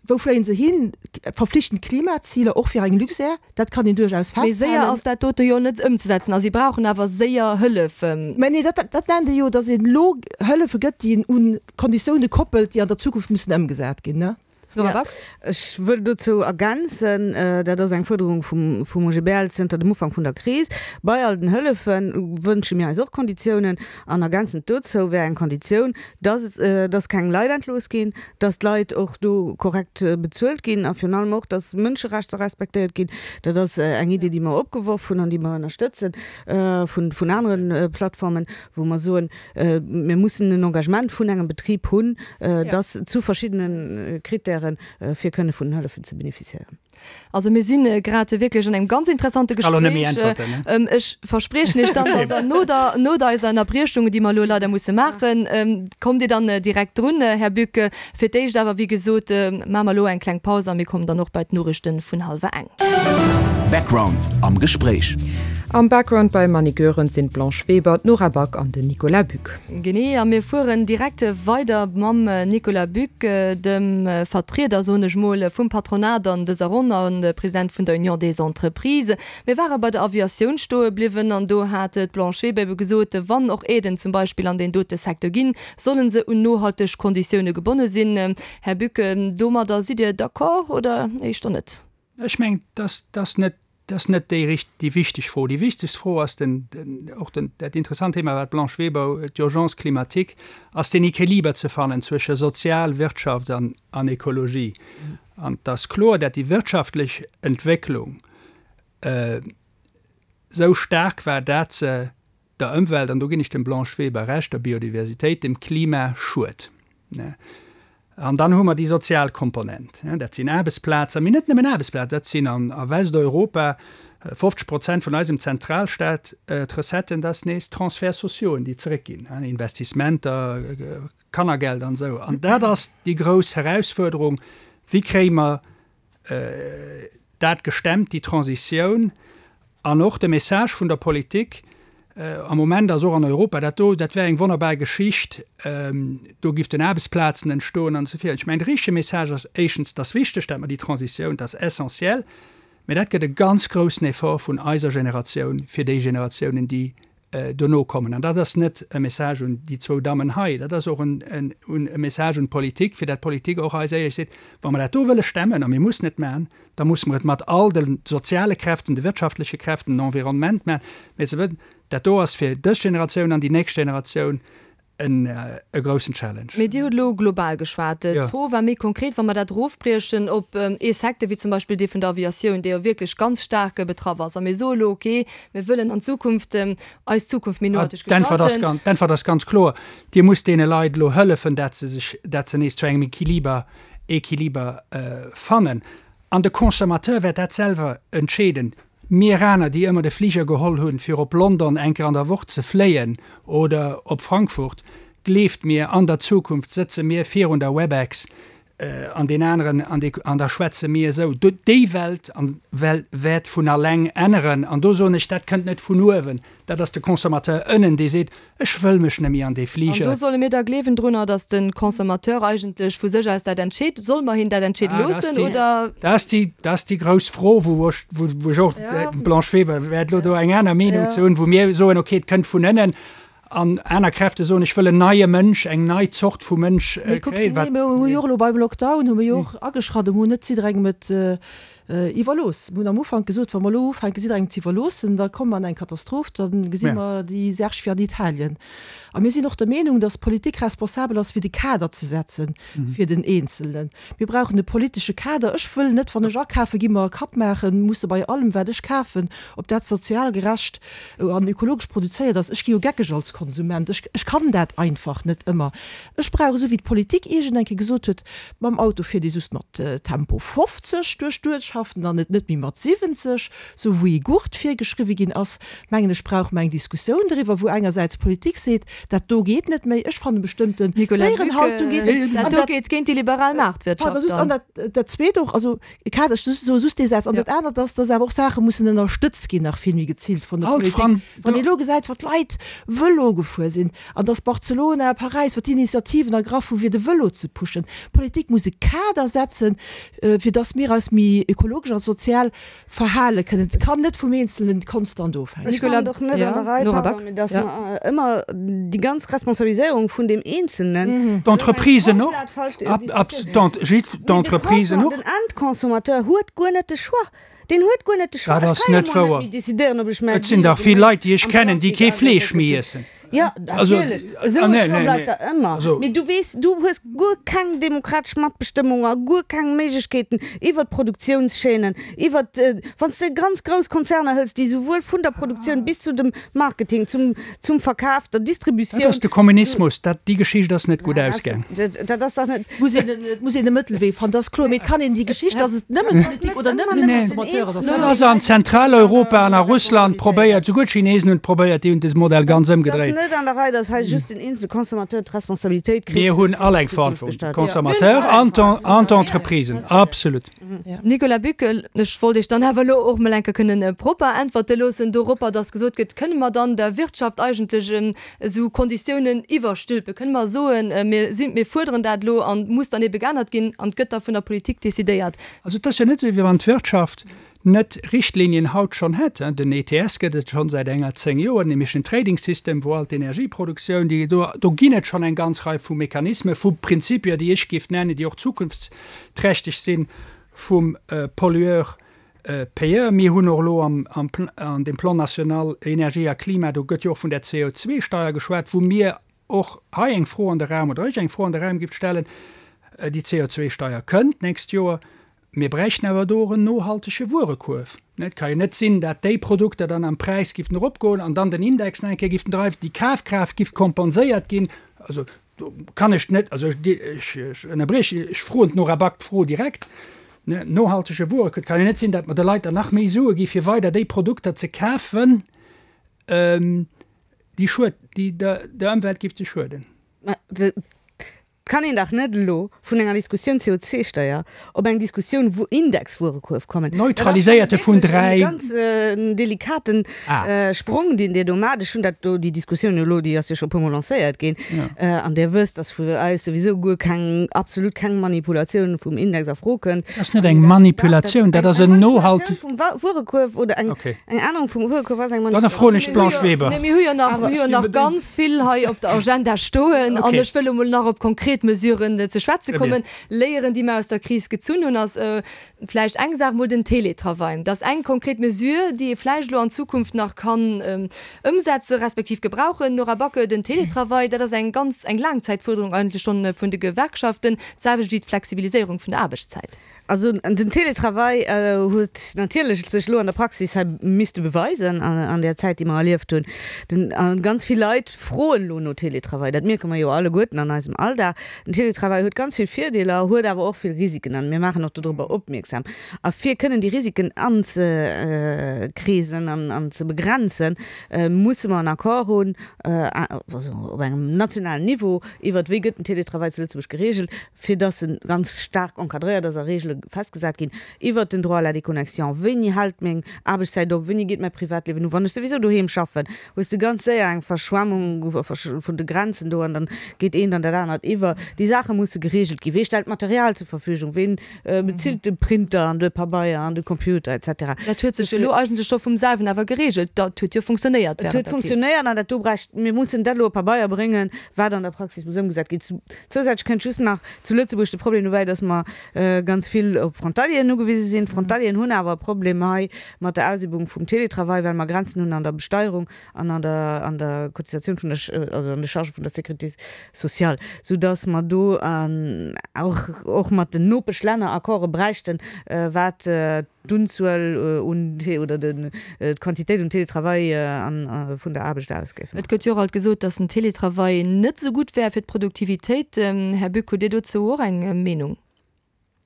Wou fléien se hin? Verflichtend Klimaziler, och fir eng Luxair, dat kann een duerchaus Mee séier festhalen. ass dat dote jo net ëmzesetzen a si brauchen awer séier Hëllef. Mä nee, dat, dat nennt ee jo, datt een elo Hëllefe gëtt, déi een u Konditioune koppelt, déi an der Zukunft mussen ëmgesat ginn, ne? Nora Back. Ech wëll dozou ergänzen, dat ass eng Fuerderung vum, vum OGBL zënter dem Ufank vun der Kris, Bei all den Hëllefe wënsche mir eis och Konditiounen. An ergänzend dozou wär eng Konditioun, dass, dass keng Leit entlooss ginn, dass d'Leit och do korrekt bezuelt ginn a virun allem och, dass Mënscherechter respektéiert ginn. Dat ass eng Idee, déi mer opgeworf hunn an déi mer ënnerstëtzen vun, vun anere Plattformen, wou mer soen, Mir mussen en Engagement vun engem Betrib hunn, dass zu verschiddene Kritären. waren, fir kënne vun den Hëllefen ze bénéficiéieren. Also mir si grad wierklech an engem ganz interessante Gespréich. Ech verspriechen Iech dann, dass Der no der, no eiser Ënnerbriechung, déi mer elo leider musse maachen, kommt Dir dann direkt drun, Här Buck. Fir d'éischt awer, wéi gesot, maache mer elo eng kleng Paus a mir kommen dann och bei d'Noriichte vun hallwer eng. Background am Gespréich. Am Background beim Annick Goerens sinn d'Blanche Weber, d'Nora Back an den Nicolas Buck. Genee, a mir fueren direkt weider mam Nicolas Buck, dem Vertrieder, soen ech mol, vum Patronat an dëser Ronn a President vun der Union des Entreprises. Mir ware bei der Aviatioun stoe bliwwen an do hat d'Blanche Weber ebe gesot, wann och Aiden zum Beispill an deen dote Secteur ginn, solle se un nohalteg Konditioune gebonne sinn. Här Buck, domadder sidd Dir d'accord oder éischter net? Ech mengen, dat ass net Dat ass net déi richt, déi wichteg Fro. Déi wichtegst Fro ass den, den, och den, dat interessant Thema, wat d'Blanche Weber, d'Urgence climatique, ass den Equiliber ze fannen zwësche Sozial, Wirtschaft an, an Ekologie. An et ass kloer, dat déi wirtschaftlech Entwécklung esou staark war, dat se der Ëmwelt, an do ginn ech dem Blanche Weber Recht, der Biodiversitéit, dem Klima schued. An dann hu mer déi sozial Komponent. Dat sinn Aarbechtsplazen, mee net nëmmen Aarbechtsplazen, dat sinn a Westeuropa 50 Prozent vun eisem Zentralstaat d'Recetten, dat ass nees Transferts sociauxen, déi zeréckginn, Investissementer, Kannergeld an esou. An dat ass déi grouss Herausfuerderung, Wéi kréie mer dat gestemmt, déi Transitioun, an och de Message vun der Politik am Moment ass och an Europa, dat do, dat wär eng wonnerbar Geschicht, do giften Aarbechtsplazen entstoen an esou virun. Ech mengen, de richtege Message ass éischtens, et ass wichteg, dat mer déi Transitioun, et ass essentiel, mä dat gëtt e ganz groussen Effort vun eiser Generatioun fir déi Generatiounen, déi dono kommen. An dat ass net e Message un déi zwou Dammen hei, dat ass och en e Message un d'Politik, fir dat d'Politik och eis éierlech seet, Wa mer dat do wëlle stemmen, a mir mussen et maachen, da musse mer et mat all de soziale Kräften, de wirtschaftleche Kräften, den Environnement maachen, mä ze wëssen, dat do ass fir dës Generatioun an déi nächst Generatioun en e groussen Challenge. Mee Dir hutt elo global geschwat. D'Fro war méi konkret, wa mer dat erofbriechen op ee Secteur wéi zum Beispill dee vun der Aviatioun, dee jo wierklech ganz staark betraff ass, a mir soe elo, okay, mir wëllen an Zukunft eis Zukunft méi nohalteg gestalten. D'Äntwert ass ganz kloer, Dir musst deene Leit elo hëllefen, dat se sech, dat se nees zu engem Equiliber, Equiliber fannen. An de Consommateur wäert dat selwer entscheeden. Mir aner, déi ëmmer de Fliger geholl hunn, fir op London eng Kéier an der Woch ze fléien oder op Frankfurt, gleeft mir, an der Zukunft sëtze mir virun der Webex an deen aneren an dee, an da schwätze mir esou. Déi Welt wäert vun alleng änneren. An do soen ech, dat kënnt net vun uewen, dat ass de Consommateur ënnen, dee seet, Ech wëll mech net méi an dee Fliger. An do solle mir da gleewen drunner, datt de Consommateur eigentlech vu sech aus dat entscheet? Solle mer hien dat entscheede loossen, oder? Dat ass déi, dat ass déi grouss Fro, wou ech, wou ech och, d'Blanche Weber wäert elo do eng aner Meenung zu hunn, wou mir soen, okay, et kënnt vun ënnen, an aner Kräfte soen, ech wëll en neie Mënsch, eng nei Zort vu Mënsch kréien. Mee kuck, mir hu jo och elo beim Lockdown hu mir jo och ageschratt, mir hunn net jidderengem et Iwwerlooss. Mir hunn am Ufank gesot, wa mer elo ufänke jidderengem ze iwwerloossen, da komme mer an eng Katastroph, da gesi mer déi Särg wéi an Italien. A mir sinn och der Meenung, datt d'Politik responsabel ass fir de Kader ze setze fir den Eenzelnen. Mir brauchen e politesche Kader. Ech wëll net, wann ech akafe gi, mer e Kapp maachen musse bei allem wat ech kafen, ob dat sozial gerecht an ökologesch produzéiert ass. Ech gi jo geckeg als Konsument. Ech, ech kann dat einfach net ëmmer. Ech brauch, esou wéi d'Politik iergend eng Kéier gesot huet, Mam Auto fiert ee just mat Tempo 50 duerch d'Uertschaften an et net méi mat 70, sou wou ee Gurt virgeschriwwe ginn ass. Mengen ech, brauche mer eng Diskussioun doriwwer, wou engersäits d'Politik seet, dat do geet net méi, ech fannen bestëmmten Déierenhaltung geet net. Dat do geet géint déi liberal Maartwirtschaft dann. An dat Zweet och, also Kader, ech soe just dee Saz, an dat anert ass, dass awer och Saache mussen ënnerstëtzt ginn nach vill méi geziilt vun der Politik. Wann ee elo gesäit, wat d'Leit Vëlo gefuer sinn, An dass Barcelona, Paräis, wat déi Initiativen ergraff hu fir de Vëlo ze pushen. D'Politik muss e Kader setzen, fir dass mir eis méi ökologesch a sozial verhale kënnen. Et kann net vum Eenzelnen konstant ofhänken. Ech fannen et och net an der Rei, pardon, mee dass mer ëmmer déi ganz Responsabiliséierung vun deem Eenzelnen. D'Entreprisen och. D'Entreprisen och. Den Endconsommateur huet guer net de Choix. Deen huet guer net de Choix. Dat ass net wouer. Et sinn dach vill Leit, déi ech kennen, déi kee Fleesch méi iessen. Jo, natierlech. Esou e Choix bleift der ëmmer. Mee du weess, du hues guer keng demokratesch Matbestëmmung a guer keng Méiglechkeeten iwwert d'Produktiounschaînen, iwwert, wann s de ganz grouss Konzerner hëls, déi souwuel vun der Produktioun bis zu dem Marketing, zum, zum Verkaf, der Distributioun. Dat ass de Kommunismus. Dat, déi Geschicht ass net gutt ausgaang. Dat ass dach net. Muss een, et muss een e Mëttelwee fannen, dat ass kloer. Mee et kann een déi Geschicht, dass et nëmmen d'Politik oder nëmmen de Consommateur ass, ass Dat ass an Zentraleuropa an a Russland probéiert, souguer d'Chinesen hunn et probéiert, déi hunn de Modell ganz ëmgedréit. Et ass net an der Rei, dass hei just den eenzele Consommateur d'Responsabilitéit kritt. Mir hunn all eng Verantwortung, d'Consommateurs an d'Entreprisen, absolut. Nicolas Büchel, Ech wollt Iech dann awer elo och mol eng Kéier kënnen propper äntwerte loossen doropper, dass gesot gëtt, Kënne mer dann der Wirtschaft eigentlech esou Konditiounen iwwerstülpen? Kënne mer soen, mir sinn, mir fuerderen dat elo an et muss dann ebe geännert ginn an et gëtt da vun der Politik decidéiert? Also et ass jo net esou, wéi wann d'Wirtschaft net Richtlinien haut schonn hätt. Den ETS gëtt et schonn säit enger 10 Joer, den Emission Trading System, wou all d'Energieproduktioun, déi do, do ginn et schonn eng ganz Rei vu Mechanismen, vu Prinzipier, déi ech géif nennen, déi och zukunftsträchteg sinn, vum Pollueur Payeur. Mir hunn och elo am, an deem Plan national Energie a Klima, do gëtt jo och vun där CO2-Steier geschwat, wou mir och hei eng Fro an de Raum, oder ech eng Fro an de Raum géif stellen, Déi CO2-Steier kënnt d'nächst Joer, mir bräichten awer do och en nohaltege Wuerekuerf. Et ka jo net sinn, dat déi Produkter dann am Präis gifften eropgoen an dann den Index nach eng Kéier gifften dreiwen, déi Kafkraaft giff kompenséiert ginn. Also do kann ech net, also ech ënnerbriechen, ech froen d'Nora Back d'Fro direkt, ne, nohaltege Wuerekuerf, et kann jo net sinn, dat mer de Leit dann nach méi Sue gi fir weider déi Produkter ze kafen, déi schued, déi der Ëmwelt giffte schueden. Mä et kann een dach net elo vun enger Diskussioun CO2-Steier op eng Diskussioun Indexwuerekuerf kommen. Neutraliséierte vun 3. Dat ass wierklech e ganz delikaten Sprong, deen Dir do maacht. Ech hunn dat do, déi Diskussioun elo, déi ass jo scho e puermol lancéiert ginn. An Dir wësst, dass vu eis souwisou guer keng, absolut keng Manipulatioun vum Index a Fro kënnt. Dat ass net eng Manipulatioun, dat ass en nohalt. Eng Manipulatioun vum Wuerekuerf oder eng. Eng Ännerung vum Wuerekuerf ass eng Dann froen ech d'Blanche Weber. Nee, mir hu jo nach, mir hu jo nach ganz vill hei op der Agenda stoen. An ech wëll emol nach op konkret Mesuren ze schwätze kommen. Léieren, déi mer aus der Kris gezunn hunn, ass vläicht eng Saach emol den Télétravail. Dat ass eng konkret Mesure, déi ee vläicht elo an Zukunft nach kann ëmsetze respektiv gebrauchen. Nora Back, Den Télétravail, dat ass eng ganz, eng Laangzäitfuerderung eigentlech schonn vun de Gewerkschaften, d'selwecht wéi d'Flexibiliséierung vun der Aarbechtszäit. Also den Télétravail huet natierlech sech elo an der Praxis hei misste beweisen an där Zäit, déi mer erlieft hunn. Den, a ganz vill Leit froen elo no Télétravail. Dat mierke mer jo alleguerten an eisem Alldag. Den Télétravail huet ganz vill Virdeeler, huet awer och vill Risiken an mir maachen och dodrobber opmierksam. A fir kënnen déi Risiken anzekreesen an ze begrenzen, musse mer en Accord hunn, also op engem nationalen Niveau, iwwert wéi gëtt den Télétravail zu Lëtzebuerg geregelt, fir dass e ganz staark encadréiert ass a Regele festgesat ginn iwwert den Droit à la déconnexion, wéini hält meng Aarbechtszäit op, wéini geet mäi Privatliewen u, wann ech souwisou doheem schaffen, hues de ganz séier eng Verschwemmung vun de Grenzen do an dann geet eent an dat anert iwwer. Déi Saache musse geregelt ginn. Wee stellt Material zur Verfügung, ween bezilt de Printer an de Pabeier an de Computer et cetera. Dat huet sech elo eigentlech scho vum selwen awer geregelt. Dat huet jo funktionéiert während der Kris. Et huet funktionéiert an dat do bräicht, mir mussen dat elo op Pabeier bréngen, wat an der Praxis muss ëmgesat ginn. Zousätzlech kënnt just nach zu Lëtzebuerg de Problem dobäi, dass mer ganz vill op Frontalieren ugewise sinn. D'Frontalieren hunn awer e Problem hei mat der Ausübung vum Télétravail, well mer Grenzen hunn an der Besteierung an an der an der Cotisatioun vun der, also an de Chargë vun der Sécurité sociale, soudass mer do och och mat den Nopeschlänner Accorde bräichten, wat d'Unzuel un oder d'Quantitéit un Télétravail vun der Aarbecht aus géif. Et gëtt jo och alt gesot, datt den Télétravail net esou gutt wär fir d'Produktivitéit. Här Bück, hutt Dir dozou och eng Meenung?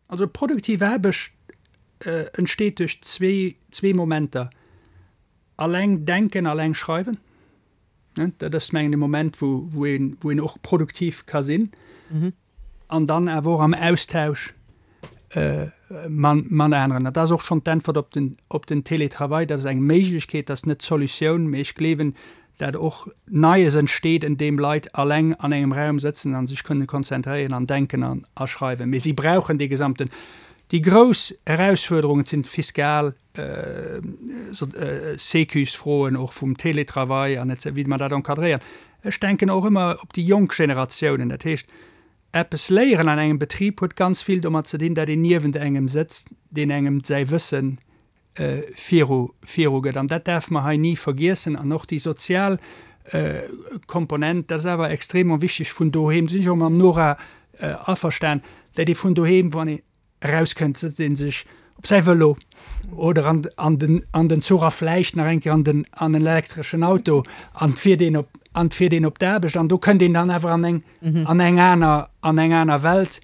Also produktiv Aarbecht entsteet duerch zwee Momenter, Alleng denken, alleng schreiwen. Dat ass mengen de Moment, wou een och produktiv ka sinn. An dann awer och am Austausch man aneren. Dat ass och schonn d'Äntwert op den, op den Télétravail. Dat ass eng Méiglechkeet, dat ass net d'Solutioun, mee ech gleewen, dat och Neies entsteet, en deem Leit alleng an engem Raum sëtzen a sech kënnen konzentréieren an denken an a schreiwen. Mee si brauchen dee gesamten. Déi grouss Erausfuerderungen sinn d'fiskal Sécusfroen och vum Télétravail an et wéi mer dat encadréieren. Ech denken och ëmmer op déi jonk Generatiounen. Dat heescht, eppes léieren an engem Betrib huet ganz vill domat ze dinn, dat een niewent engem sëtzt, deen engem säi Wësse viru virugëtt. An dat däerfe mer hei ni vergiessen. An och déi sozial. Komponent, dat ass awer extrêmement wichteg vun doheem, do sinn ech och mam Nora averstan, dat ee vun doheem, wann een erauskënnt, sëtzt ee sech op säi Vëlo oder an, an den, an den Zuch a vläicht nach eng Kéier an den, an en elektreschen Auto an fiert een op, an fiert een op d'Aarbecht an do kënnt een dann awer an eng, an eng aner, an eng aner Welt,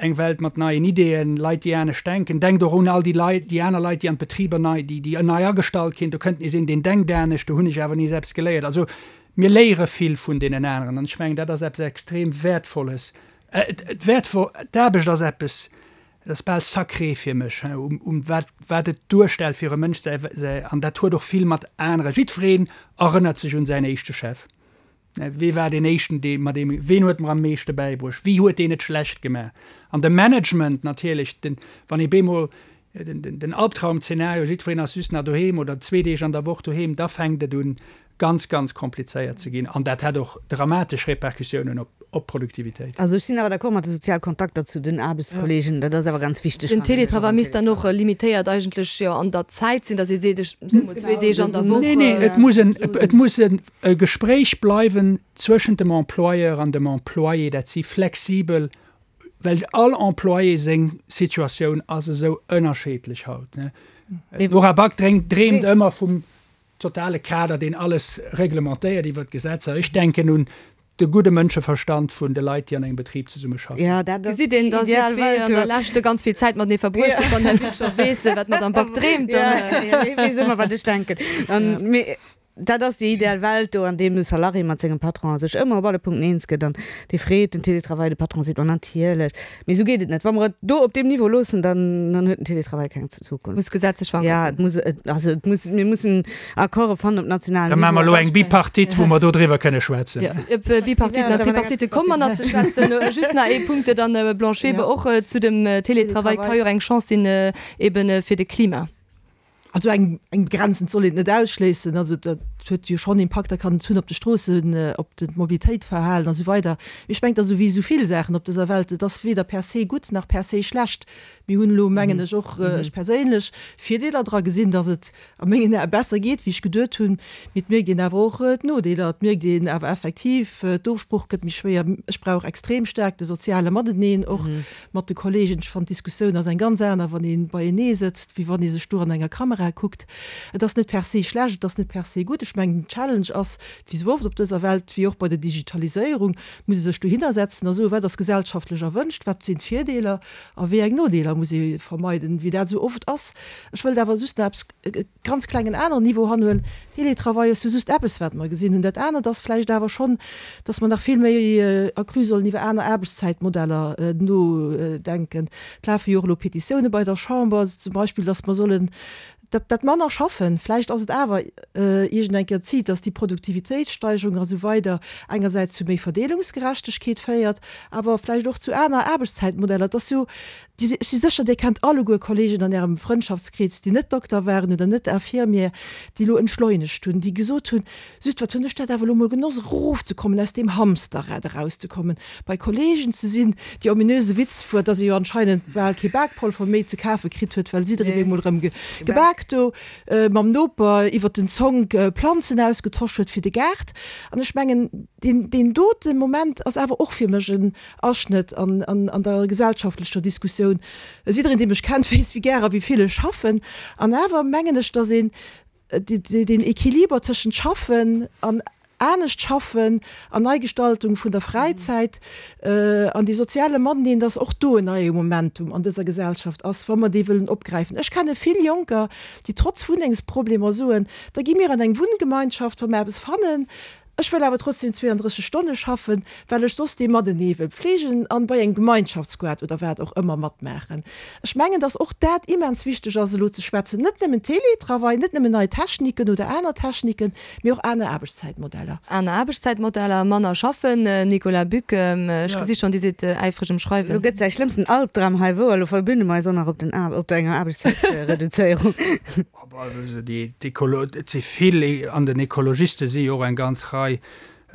eng Welt mat neien Ideeën, Leit, déi anescht denken. Denkt och un all déi Leit, déi aner Leit, déi an d'Betriber nei, déi, déi nei agestallt ginn. Do kënnt nees een, deen denkt anescht, do hunn ech awer nees eppes geléiert. Also mir léiere vill vun deenen aneren an ech mengen, dat ass eppes extrem Wäertvolles. D'Aarbecht ass eppes, dat ass bal sacré fir mech, um wat, wat et duerstellt fir e Mënsch, säi, säi, an dat huet och vill mat anere, jiddwereen erënnert sech un säin éischte Chef. Wee war deen éischten, dee mat deem, ween huet mer am meeschte bäibruecht, wéi huet deen et schlecht gemaach? An de Management natierlech, den, wann ee bemol den, den, den Albtraum-Zeenario, jiddwereen ass just nach doheem oder zwee Deeg an der Woch doheem, da fänkt et un, ganz, ganz komplizéiert ze ginn. An dat hätt och dramatesch Repercussiounen op, op d'Produktivitéit. Also ech sinn awer d'accord mat de sozial Kontakter zu den Aarbechtskollegen, dat ass awer ganz wichteg. Den Télétravail misst dann och limitéiert eigentlech jo an der Zäit sinn, datt ee seet, ech soe mol zwee Deeg an der Woch. Nee, nee, et muss en, et muss en e Gespréich bleiwen zwëschent dem Employeur an dem Employé, dat si flexibel, well all Employé seng Situatioun ass esou ënnerscheedlech haut. D'Nora Back dreemt ëmmer vum totale Kader, deen alles reglementéiert iwwert d'Gesetzer. Ech denken un de gudde Mënscheverstand vun de Leit, déi an engem Betrib zesummeschaffen. Ja, dat ass Gesitt een, déi datt dir ideal zwee Welt an der do. Lescht ganz vill Zäit matenee verbruecht hutt. Wann den Här Wick scho weess, wat d'Madame Back dreemt, Ja, dann. ja, hie weess ëmmer, wat ech denken. An, mee dat ass déi ideal Welt do, an deem de Salarié mat sengem Patron sech ëmmer op alle Punkten eens gëtt an dee freet den Télétravail, de Patron seet, Ma natierlech. Mee esou geet et net. Wa mer et do op deem Niveau loossen, dann, dann huet den Télétravail keng Zukunft. Muss gesetzlech verankert Ja, ginn. et muss, et, also et muss, mir mussen Accorde fannen op nationalem Da maache mer Niveau. elo eng Bipartite, wou mer do driwwer kënne schwätzen. Op Bipartiten an Tripartite komme mer nach ze schwätzen. Just nach ee Punkt dann, Blanche Weber, och zu dem Télétravail ka jo och eng Chance sinn eben fir de Klima. Also eng eng begrenzend soll een et net ausschléissen. Also dat huet jo schonn Impakter, kann et hunn op de Stroossen, op de Mobilitéitverhalen a sou weider. Mee ech mengen, et ass esou wéi esou vill Saachen op dëser Welt, et ass weder per se gutt nach per se schlecht. Mir hunn elo, mengen ech, och ech perséinlech, Virdeeler dra gesinn, datt et a mengen Ae besser geet, wéi ech geduet hunn. Mee et mierkt een awer och d'Nodeeler. Et mierkt een awer effektiv, d'Ofsprooch gëtt méi schwéier. Ech brauch extrem staark de soziale Mateneen och mat de Kollegen. Ech fannen, d'Diskussioun ass eng ganz aner, wann ee beienee sëtzt, wéi wann ee sech do an enger Kamera kuckt. Et ass net per se schlecht, et ass net per se gutt. Ech mengen, den Challenge ass, wéi sou oft op dëser Welt, wéi och bei der Digitaliséierung, muss ee sech dohinner setzen a soen, wat ass gesellschaftlech erwënscht, wat sinn d'Virdeeler a wéi eng Nodeeler muss ee vermeiden, wéi dat esou oft ass. Ech wëllt awer just nach eppes ganz klengen aneren Niveau hanhuelen, Télétravail ass jo just eppes, wat mer gesinn hunn. Dat anert ass vläicht awer schonn, dass mer nach vill méi accru sollen iwwer aner Aarbechtszäitmodeller nodenken. Et lafe jo och elo Petitioune bei der Chamber, zum Beispill, dass mer sollen dat, dat manner schaffen. Vläicht ass et awer iergend eng Kéier Zit, dass déi Produktivitéitssteigerung a sou weider engersäits zu méi Verdeelungsgerechtegkeet féiert, awer vläicht och zu aner Aarbechtszäitmodeller. Et ass jo Ech si sécher, Dir kennt alleguer Kollegen an Ärem Frëndschaftskrees, déi net Dokter waren oder net Infirmier, déi elo entschleunegt hunn, déi gesot hunn, Süd, wat hunn ech dat awer elo mol genoss, erofzekommen, aus deem Hamsterrad erauszekommen, bei Kollegen ze sinn. Déi ominöse Witz wuar, dass ee jo anscheinend bal kee Bakpolver méi ze kafe kritt huet, well jiddereen bemol erëm gebak do mam Noper iwwert den Zonk Planzen ausgetosch huet fir de Gaart. An ech mengen, deen dote Moment ass awer och fir mech en Aschnëtt an an der gesellschaftlecher Diskussioun. Jiddereen, dee mech kennt, weess, wéi gär a wéi vill ech schaffen. An awer mengen ech, datt een deen Equiliber tëschent Schaffen an anescht schaffen an Neigestaltung vun der Fräizäit an dee soziale Mateneen, datt och do en neie Momentum an dëser Gesellschaft ass, wa mer dee wëllen opgräifen. Ech kenne vill Jonker, déi trotz Wunnengsproblemer soen, Da gi mir an eng Wunngemeinschaft, wa mer eppes fannen. Ech wëll awer trotzdem 32 Stonne schaffen, well ech soss dee Matenee wëll pflegen an bei engem Gemeinschaftsgoart oder wat och ëmmer matmaachen. Ech mengen, dass och dat immens wichteg ass elo ze schwätzen, net nëmmen Teletravail, net nëmmen nei Techniken oder aner Techniken, mee och aner Aarbechtszäitmodeller. Aner Aarbechtszäitmodeller, manner schaffen. Nicolas Buck, ech gesi schonn, Dir sidd äifreg um Schreiwen. Elo gëtt säi schlëmmsten Albdram hei wouer, elo verbünne mer eis och nach op der enger Aarbechtszäitreduzéierung. Et si vill, an den Ekologiste si jo och eng ganz Rei.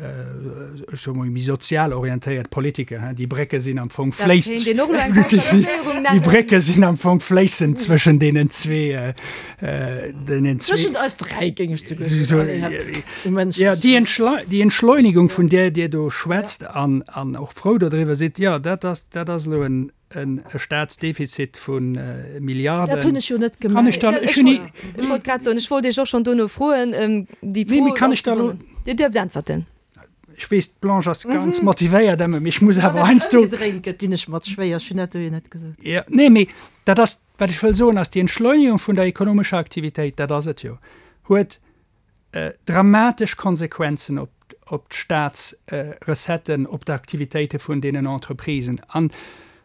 ech soe mol, méi sozial orientéiert Politiker, hein, déi Brécke sinn am Fong fléissend, déi Brécke sinn am Fong fléissend zwëschen deenen zwee, deenen zwee. Zwëschent eis dräi, géing ech souguer soen. Allez, hep, um Enn. Jo, déi Entschlei-, déi Entschleunigung, vun där Dir do schwätzt an, an och frou dodriwwer sidd, jo, dat ass, dat ass elo en, E Staatsdefizit vu Milliarden. Dat hunn ech jo net gemengt. Kann ech da, ech hunn ni. Ech wollt grad soen, ech wollt Iech och schonn dono froen. Déi Fro. Nee, mee kann ech da elo. Dir duerft äntwerten. Ech weess, d'Blanche ass ganz motivéiert, Emma, mee ech muss awer heiansdo. Wann et ëmgedréint gëtt, dinn ech mat schwéier. Ech hunn dat do jo net gesot. Jo, nee, mee dat ass, wat ech wëll soen, ass, déi Entschleunigung vun der ekonomescher Aktivitéit, dat ass et jo, huet dramatesch Konsequenzen op op d'Staatsrecetten, op d'Aktivitéite vun deenen Entreprisen. An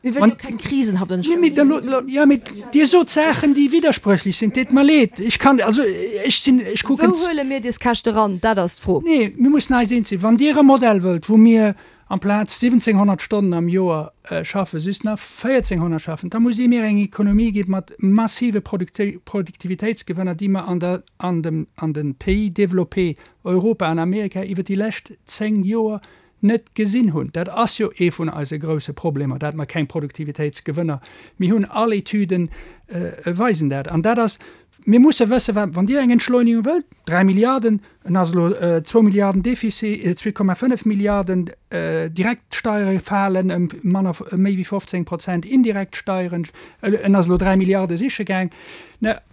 Mir wëlle jo keng Krisen hatt. Jo, mee Dir sot Saachen, déi widdersprëchlech sinn. Deet mer leed. Ech kann, also ech sinn, ech kucken. Wou huele mir des Käschte ran? Dat ass d'Fro. Nee, mir mussen eis eens sinn. Wann Dir e Modell wëllt, wou mir amplaz 1.700 Stonnen am Joer schaffen, just nach 1.400 schaffen, da musst Dir mir eng Ekonomie gi mat massive Produktivitéitsgewënner, déi mer an der, an dem, an de Pays développés, Europa an Amerika, iwwer déi lescht 10 Joer net gesinn hunn. Dat ass jo ee vun eise grouse Problemer, dat mer keng Produktivitéitsgewënner méi hunn. All Etüden weisen dat. An dat ass, mir musse wëssen, wat, wann Dir eng Entschleunigung wëllt, 3 Milliarden, en ass elo zwou Milliarden Defizit, 2,5 Milliarden direkt Steiere falen ëm manner, méi wéi 15 Prozent indirekt Steieren, en ass elo 3 Milliarde siche gaang.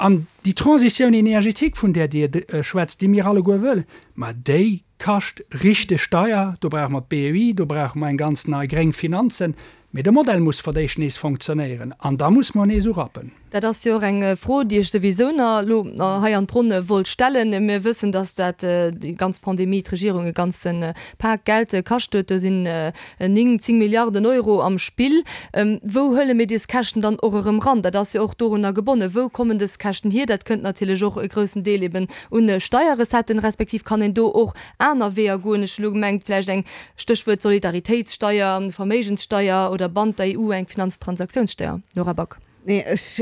An déi Transition énergétique, vun där Dir schwätzt, déi mir alleguer wëllen, ma déi kascht richteg deier. Do brauche mer d'BEI, do brauche mer eng ganz nei gréng Finanzen. Mee de Modell muss fir d'éischt nees fonctionnéieren an da muss mer nees urappen. Dat ass jo och eng Fro, déi ech souwisou nach elo hei an d'Ronn wollt stellen. Mir wëssen, dass dat, déi ganz Pandemie d'Regierung e ganze Pak Geld kascht huet. Do sinn 9, 10 Milliarden Euro am Spill. Wou huele mir des Käschten dann och erëm ran? Dat ass jo och dorunner gebonnen. Wou kommen dës Käschten hier? Dat kënnt natierlech och e groussen Deel eben un Steierrecetten, respektiv kann een do och aner Weeër goen. Ech hu lo gemengt, vläicht eng Stéchwuert Solidaritéitssteier, Verméigenssteier oder bannt der EU eng Finanztransaktiounssteier? Nora Back. Nee, ech,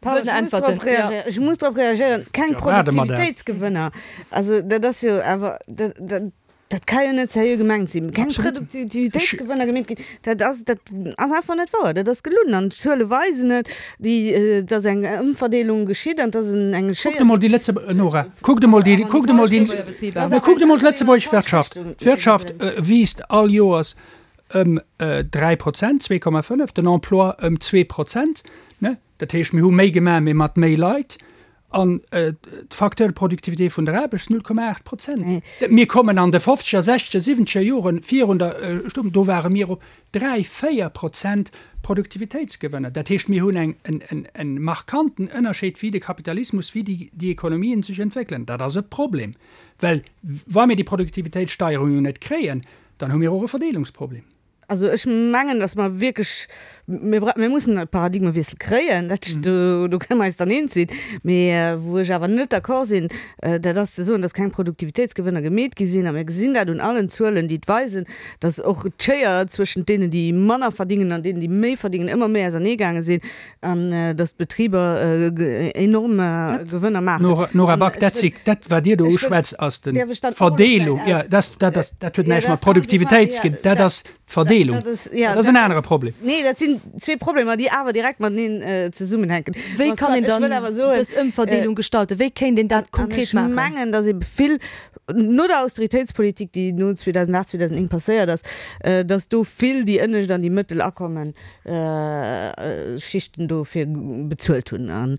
pardon, ech muss drop reagéieren. Ech muss drop reagéieren. Keng Produktivitéitsgewënner. Also dat ass jo awer, dat, dat, dat ka jo net seriö gemengt sinn. Keng Produktivitéitsgewënner gemeet ginn. Dat ass, dat ass einfach net wouer. Dat ass gelunn an d'Zuele weisen et. Déi, et ass eng Ëmverdeelung geschitt an et ass eng Schéier. Kuckt emol déi Lëtze-, Nora, kuckt emol déi, kuckt emol déi, mä kuckt emol d'lëtzebuergesch Wirtschaft. D'Wirtschaft wiisst all Joers ëm 3 Prozent, 2,5, den Emploi ëm 2 Prozent, ne? Dat heescht, mir hu méi gemaach, mee mat méi Leit. An d'Facteur de productivité vun der Aarbecht 0,8 Prozent. Mir kommen an de fofzeger, sechzeger, siwwenzeger Joren virun der Sturm, do ware mir op 3, 4 Prozent Produktivitéitsgewënner. Dat heescht, mir hunn eng, en, en markanten Ënnerscheed, wéi de Kapitalismus, wéi déi, déi Ekonomien sech entwéckelen. Dat ass e Problem, well wa mir déi Produktivitéitssteierung jo net kréien, dann hu mir och e Verdeelungsproblem. Also ech mengen, datt mer wierklech, mir bra-, mir mussen e Paradigmewiessel kréien, dat, do, do kënne mer eis dann eens sinn. Mee wou ech awer net d'accord sinn, dat ass ze soen, datt keng Produktivitéitsgewënner gemeet gi sinn. A mir gesinn dat un allen Zuelen, déi et weisen, datt och d'Schéier zwëschent deenen, déi manner verdingen an deenen, déi méi verdingen, ëmmer méi auserneegaange sinn an datt d'Betriber enorm Gewënner maachen. Nora, Nora Back, dat si, dat wat Dir do uschwätzt, ass den, d'Verdeelung, jo, dat, dat ass, dat huet näischt mat Produktivitéit ze ginn, dat ass d'Verdeelung. Dat ass en anere Problem. Nee, dat sinn zwee Problemer, déi awer direkt mateneen zesummenhänken. Wéi kann een dann dës Ëmverdeelung gestalten? Wéi kéint een dat konkret maachen? Ech mengen, datt ebe vill no der Austeritéitspolitik, déi no 2008, 2009 passéiert ass, datt do vill déi ënnescht an déi mëttel Akommen Schichten dofir bezuelt hunn. An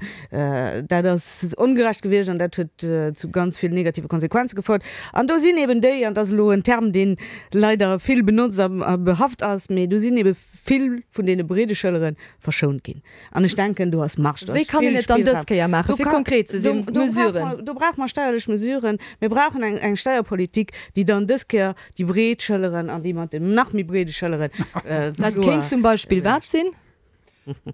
dat ass ongerecht gewiescht an dat huet zu ganz vill negative Konsequenze gefouert. An do sinn eben déi, an dat ass elo en Term, dee leider vill benotzt a behaft ass, mee do sinn ebe vill vun deene breede Schëllere verschount ginn. An ech denken, do ass Marge, do ass vill Wéi kann een et dann Spillraum. dës Kéier maachen, fir konkret ze sinn, Mesuren? Do brauche mer steierlech Mesuren. Mir brauchen eng Steierpolitik, déi dann dës Kéier déi breet Schëlleren an déi mat den nach méi breede Schëlleren Dat kéint zum Beispill wat sinn?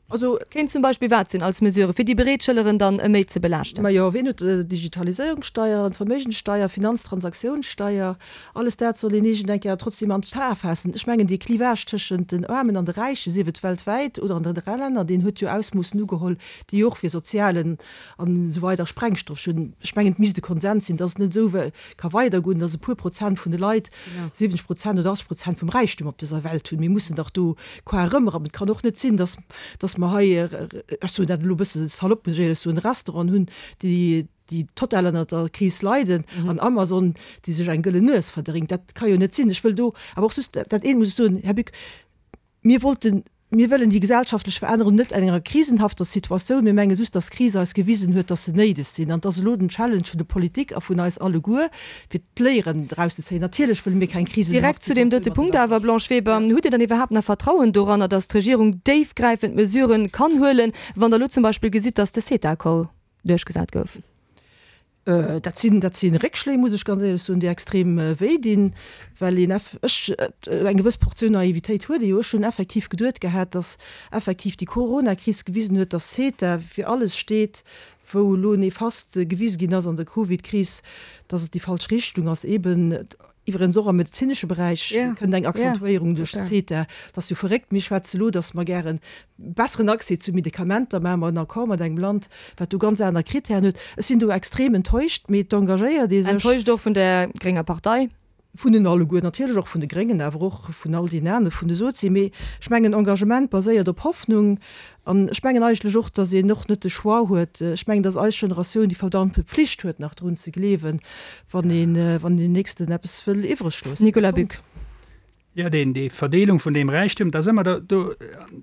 Also. Kéint zum Beispill wat sinn als Mesure, fir déi breet Schëlleren dann méi ze belaaschten? Majo, wien huet Digitaliséierungssteier, Verméigenssteier, Finanztransaktiounssteier, alles dat soll een iergend eng Kéier trotzdem an d'A faassen. Ech mengen, dee Clivage tëschent den Aarmen an de Räichen, sief et weltwäit oder an den Länner, deen huet jo Ausmoossen ugeholl, déi och fir sozialen an esou weider Sprengstoff hunn. Ech mengen, et misst e Konsens sinn, dass et net esou ka weidergoen, dass e puer Prozent vun de Leit 70 Prozent oder 80 Prozent vum Räichtum op dëser Welt hunn. Mir mussen dach do qua erëmrappen. Et kann och net sinn, dass, dass mer hei, ech soen dat elo e bësse salopp, muss ech éierlech soen, Restauranten hunn, déi, déi total ënnert der Kris leiden an Amazon, déi sech eng gëllen Nues verdéngt. Dat ka jo net sinn. Ech wëll do awer och just dat eent muss ech soen, Här Buck, Mir wollten, mir wëllen déi gesellschaftlech Verännerung net an enger krisenhafter Situatioun. Mir menge just, dass d'Kris eis gewisen huet, dass se néideg sinn. An et ass elo den Challenge vun der Politik a vun eis alleguer, fir d'Léieren draus ze zéien. Natierlech wëlle mir keng krisenhaft Direkt zu deem Situatioun dote Punkt awer, Blanche Weber, Hutt Dir dann iwwerhaapt nach Vertrauen doranner, dass d'Regierung déifgräifend Mesuren kann huelen, wann Der elo zum Beispill gesitt, dass de CETA-Accord duerchgesat gouf? Dat sinn, dat si Réckschléi, muss ech ganz éierlech soen, déi extrem wéi dinn, well een eff, ech, eng gewëss Portioun Naivitéit huet ee jo. Ech hunn effektiv geduet gehat, datt effektiv déi Coronakris gewisen huet, datt CETA fir alles steet, wou elo néfaste gewise ginn ass an der Covidkris, datt et déi falsch Richtung ass, eeben Iwwerens och am medezinesche Beräich kënnt eng Accentuéierung duerch CETA. Dat ass jo verréckt. Mir schwätze elo, datt mer gären besseren Accès zu Medikamenter maachen, mer en Accord mat engem Land, wat do ganz aner Kritären huet. Ech sinn do extrem enttäuscht, mee et engagéiert ee sech. Enttäuscht och vun der grénger Partei? Vun den alleguer, natierlech och vun de Gréngen, awer och vun all deenen anere, vun de Sozi. Mee ech mengen, Engagement baséiert op Hoffnung. An ech mengen eigentlech och, datt een och net de Choix huet. Ech mengen, datt eis Generatioun déi verdammte Pflicht huet, nach drun ze gleewen, wann een, wann een den Nächsten eppes wëll iwwreg loossen. Nicolas Buck. Jo, deen, déi Verdeelung vun deem Räichtum, dat ass ëmmer do, do,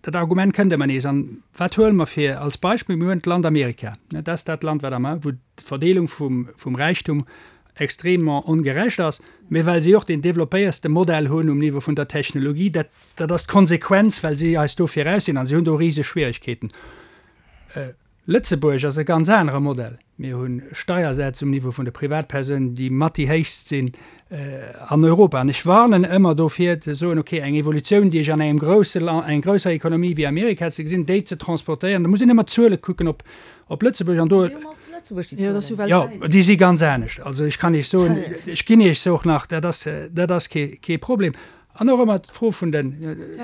dat Argument kënnt ëmmer nees. An wat huele mer fir als Beispill? Mir huelen d'Land Amerika. Dat ass dat Land, wat am, wou d'Verdeelung vum, vum Räichtum extrêmement ongerecht ass, mä well si och deen développéierste Modell hunn um Niveau vun der Technologie, dat, dat ass d'Konsequenz, well si eis do viraus sinn a si hunn do riseg Schwierigkeeten. Lëtzebuerg ass e ganz anere Modell. Mir hu Steiersätz um Niveau vun de Privatpersounen, déi mat déi héichst sinn an Europa. An ech warnen ëmmer dofir ze soen, okay, eng Evolutioun, déi ech an engem grousse Land, enger grousser Ekonomie wéi Amerika ze gesinn, déi ze transportéieren, da muss een ëmmer d'Zuele kucken op op Lëtzebuerg an do. Jo, déi si ganz anescht. Also ech kann Iech soen, ech ginn Iech se och nach, dat ass, dat ass kee, kee Problem. An och ëmmer d'Fro vun den,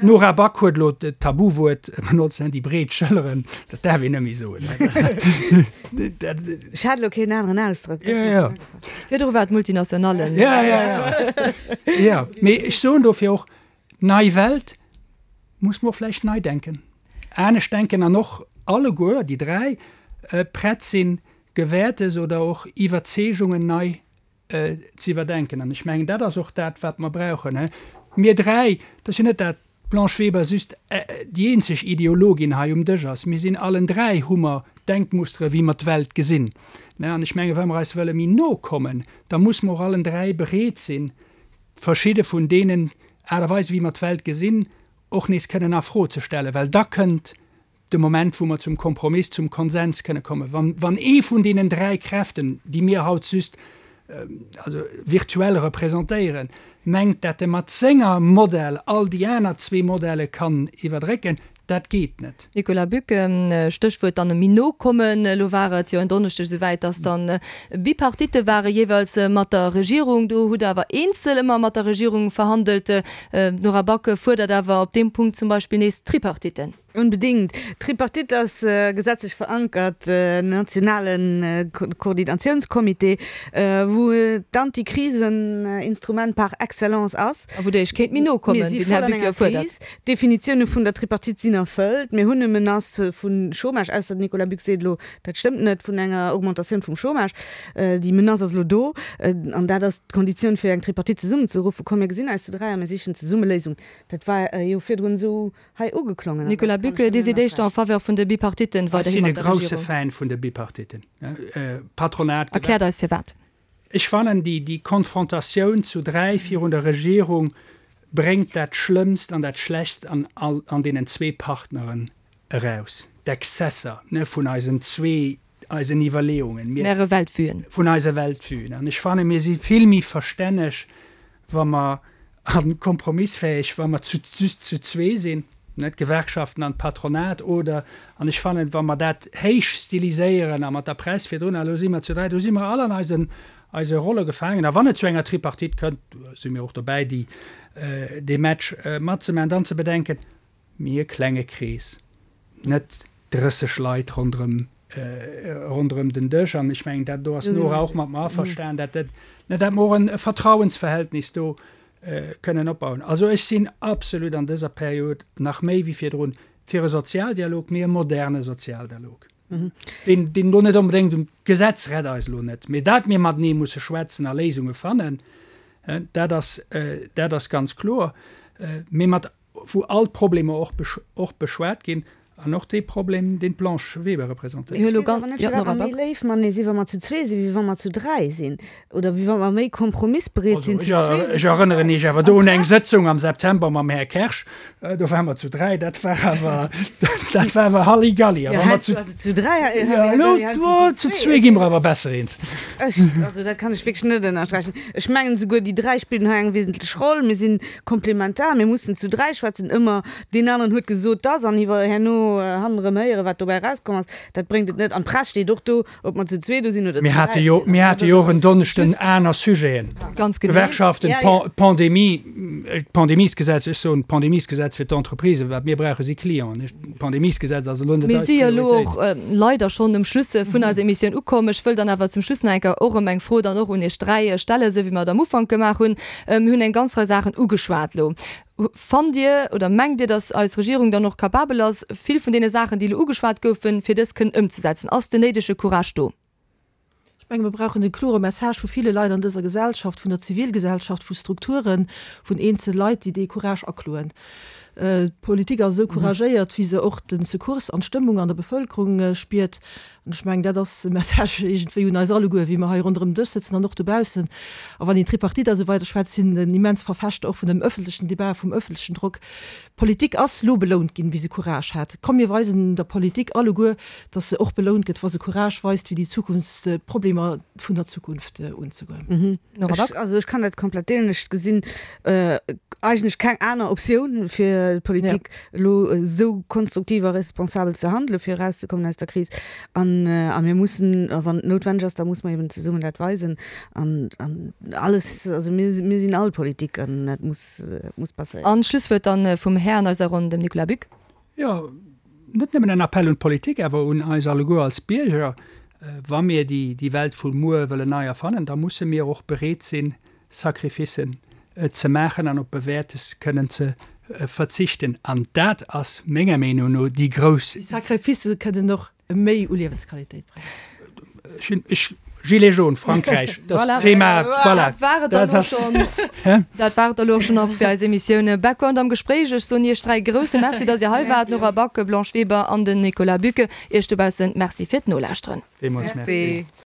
d'Nora Back huet elo d'Tabuwuert benotzt, déi breet Schëlleren, dat däerf een net méi soen. Ech hat elo keen aneren Ausdrock. Jo, jo. Virdru war et Multinationallen. Jo, jo, jo. Jo, mee ech soen dofir och, nei Welt, muss mer och vläicht nei denken, anescht denken an och alleguer déi 3 prett sinn, Gewäertes oder och Iwwerzeegungen nei ze iwwerdenken. An ech mengen, dat ass och dat, wat mer brauchen. Mir dräi, et ass jo net, dat d'Blanche Weber just déi eenzeg Ideologin hei um Dësch ass, mir sinn allen dräi, hu mer Denkmustere wéi mer d'Welt gesinn. An ech mengen, wa mer eis wëlle méi no kommen, da muss mer och allen dräi bereet sinn, verschidde vun deenen Aart a Weisen, wéi mer d'Welt gesinn, och nees kënnen a Fro ze stellen, well da kënnt de Moment, wou mer zum Kompromiss, zum Konsens kënne kommen, wann, wann ee vun deenen dräi Kräften, déi mir haut just also virtuell representéieren, mengt, dat e mat senger Modell all déi aner zwee Modelle kann iwwerdrécken, dat geet net. Nicolas Buck, Stéchwuert dann méi no kommen. Elo war et jo en Donneschdeg esouwäit, datt dann Bipartitte ware jeeweils mat der Regierung. Do hutt Der awer eenzel ëmmer mat der Regierung verhandelt. D'Nora Back fuerdert awer op deem Punkt zum Beispill nees Tripartitten. Onbedéngt. D'Tripartite ass gesetzlech verankert, en nationale Koordinatiounscomité, wou d'Antikrisen-Instrument par excellence ass. A wou Der Iech kéint méi no kommen, wéi den Här Buck jo fuerdert. D'Definitioune vun der Tripartite sinn erfëllt. Mir hunn e Menace vu Chômage, ausser den Nicolas Buck seet elo, dat stëmmt net, vun enger Augmentatioun vum Chômage. Déi Menace ass elo do. An dat ass d'Konditioun, fir eng Tripartite zesummenzeruffen. Komm, mir gesinn eis zu dräi a mir sichen zesumme Léisungen. Dat war jo virdrun esou hei ugeklongen. Nicolas Buck, Dir sidd éischter en faveur vun de Bipartitten Ech weiderhi sinn e mat der grousse Regierung. Fan vun de Bipartitten. Patronat, Erkläert eis firwat. Ech fannen, déi, déi Konfrontatioun zu dräi virun der Regierung bréngt dat Schlëmmst an dat Schlechtst an all, an deenen zwee Partneren eraus, d'Exzesser, ne, vun eisen zwee, eisen Iwwerleeungen. Mir. Vun Äre Weltvuen. Vun eise Weltvuen. An ech fannen, mir si vill méi verstänneg, wa mer, a kompromissfäeg, wa mer zu, just zu zwee sinn. Net d'Gewerkschaften an d'Patronat oder, an ech fannen, wa mer dat héich stiliséieren a mat der Press virdrun, a lo si mer zu 3, do si mer all an eisen, eise Rolle gefaangen. A wann et zu enger Tripartite kënnt, si mir och dobäi, déi, dee Match matzemaachen, dann ze bedenken, Mir e klenge Krees, net 30 Leit ronderëm, ronderëm den Dësch. An ech mengen, dat do ass d'Nora och mat mer averstanen, dat dat, net dat mer och e Vertrauensverhältnis do kënnen opbauen. Also ech sinn absolut an dëser Period nach méi wéi virdrun fir e Sozialdialog, mee e moderne Sozialdialog, deen, deen elo net onbedéngt um, d'Gesetz rett eis elo net, mee dat mir matenee musse schwätzen a Léisunge fannen, dat ass, dat ass ganz kloer, mee mat wou all d'Problemer och och beschwat ginn, an och dee Problem, deen d'Blanche Weber representéiert. Ech weess awer net, firwat mer méi léif matenee sinn, wa mer zu zwee sinn, wéi wa mer zu dräi sinn, oder wéi wa mer méi kompromissbereet sinn zu zwee wéi Ech zu erënneren Iech awer do un eng Sëtzung am September mam Här Kersch, do ware mer zu dräi, dat war awer, dat war awer Halligalli. A wa mer zu, Also zu dräi jo, elo, Halligalli, zu zwee gi mer awer besser eens. Ech, also dat kann ech wierklech net ënnersträichen. Ech mengen esouguer, déi dräi spillen hei eng wesentlech Roll. Mir si komplementar, mir mussen zu dräi schwätzen, ëmmer deen aneren huet gesot dass, an iwwer herno hannerëm héieren, wat dobäi erauskomm ass, dat bréngt et net. An d'Press steet och do, ob mer zu zwee do sinn oder zu Mir hate dräi. jo, mir hate jo och en Donneschden aner Sujeten, Ganz genee. Gewerkschaften, Ja, ja. d'Pandemie, d'Pandemiesgesetz, ech soen d'Pandemiesgesetz fir d'Entreprisen, wat mir brauche si Clienten. D'Pandemiesgesetz ass elo net Mir eis si jo elo Prioritéit. och leider schonn um Schluss vun eiser Emissioun ukomm. Ech wëll dann awer zum Schluss nach eng Kéier och erëm eng Fro dann och un Iech dräi stellen, esou wéi mer et am Ufank gemaach hunn. Mir hunn eng ganz Rei Saachen ugeschwat elo. Fannt Dir oder mengt Dir, datt eis Regierung dann och capabel ass, vill vun deene Saachen, déi elo ugeschwat goufen, fir dës kënnen ëmzesetzen? Ass den néidege Courage do? Ech menge mir brauchen e klore Message vu ville Leit an dëser Gesellschaft, vun der Zivilgesellschaft, vu Strukturen, vun eenzel Leit, déi dee Courage akloen. D'Politik ass esou couragéiert, wéi se och de Secours an d'Stëmmung an der Bevëlkerung spiert. An ech mengen, dat ass e Message iergendwéi un eis alleguer, wéi mer hei ronderëm den Dësch sëtzen an och dobaussen. A wann een Tripartite a sou weider schwätzt, sinn en immens Verfechter och vun dem öffentlechen Débat, vum öffentlechen Drock. D'Politik ass lo belount ginn, wéi se Courage hat. Komm mir weisen der Politik alleguer, dass se och belount gëtt, wa se Courage weist, fir déi Zukunftsproblemer vun der Zukunft unzegoen. Nora Back. Also ech kann dat komplett deelen. Ech gesinn eigentlech keng aner Optioun fir d'Politik elo esou konstruktiv a responsabel ze handelen, fir erauszekommen aus der Kris. An a mir mussen, a wann et noutwenneg ass, da muss mer eben zesummen dat weisen. An an alles, also mir mir sinn all Politik an dat muss muss passéieren. An d'Schlusswuert dann vum Här an eiser Ronn, dem Nicolas Buck. Jo, net nëmmen en Appell un d'Politik, awer un eis alleguer als Bierger, Wa mir déi Welt vu muer wëllen nei erfannen, da musse mir och bereet sinn, Sacrificen ze maachen an op Bewäertes kënnen ze verzichten. An dat ass menger Meenung no déi grouss. Déi Sacrificë kënnen och méi u Liewensqualitéit bréngen. Ech hunn, ech, Gilets jaunes, Frankräich, dat Voilà. Thema, voilà. Dat war et dann Dat elo ass, schonn. hä? Dat war et elo och schonn och fir eis Emissioun Background am Gespréich. Ech soen Iech dräi grousse Merci, dass Dir hei waart, Nora Back, Blanche Weber an den Nicolas Bucke. Iech dobaussen Merci fir d'Nolauschteren. Villmools Merci. Merci.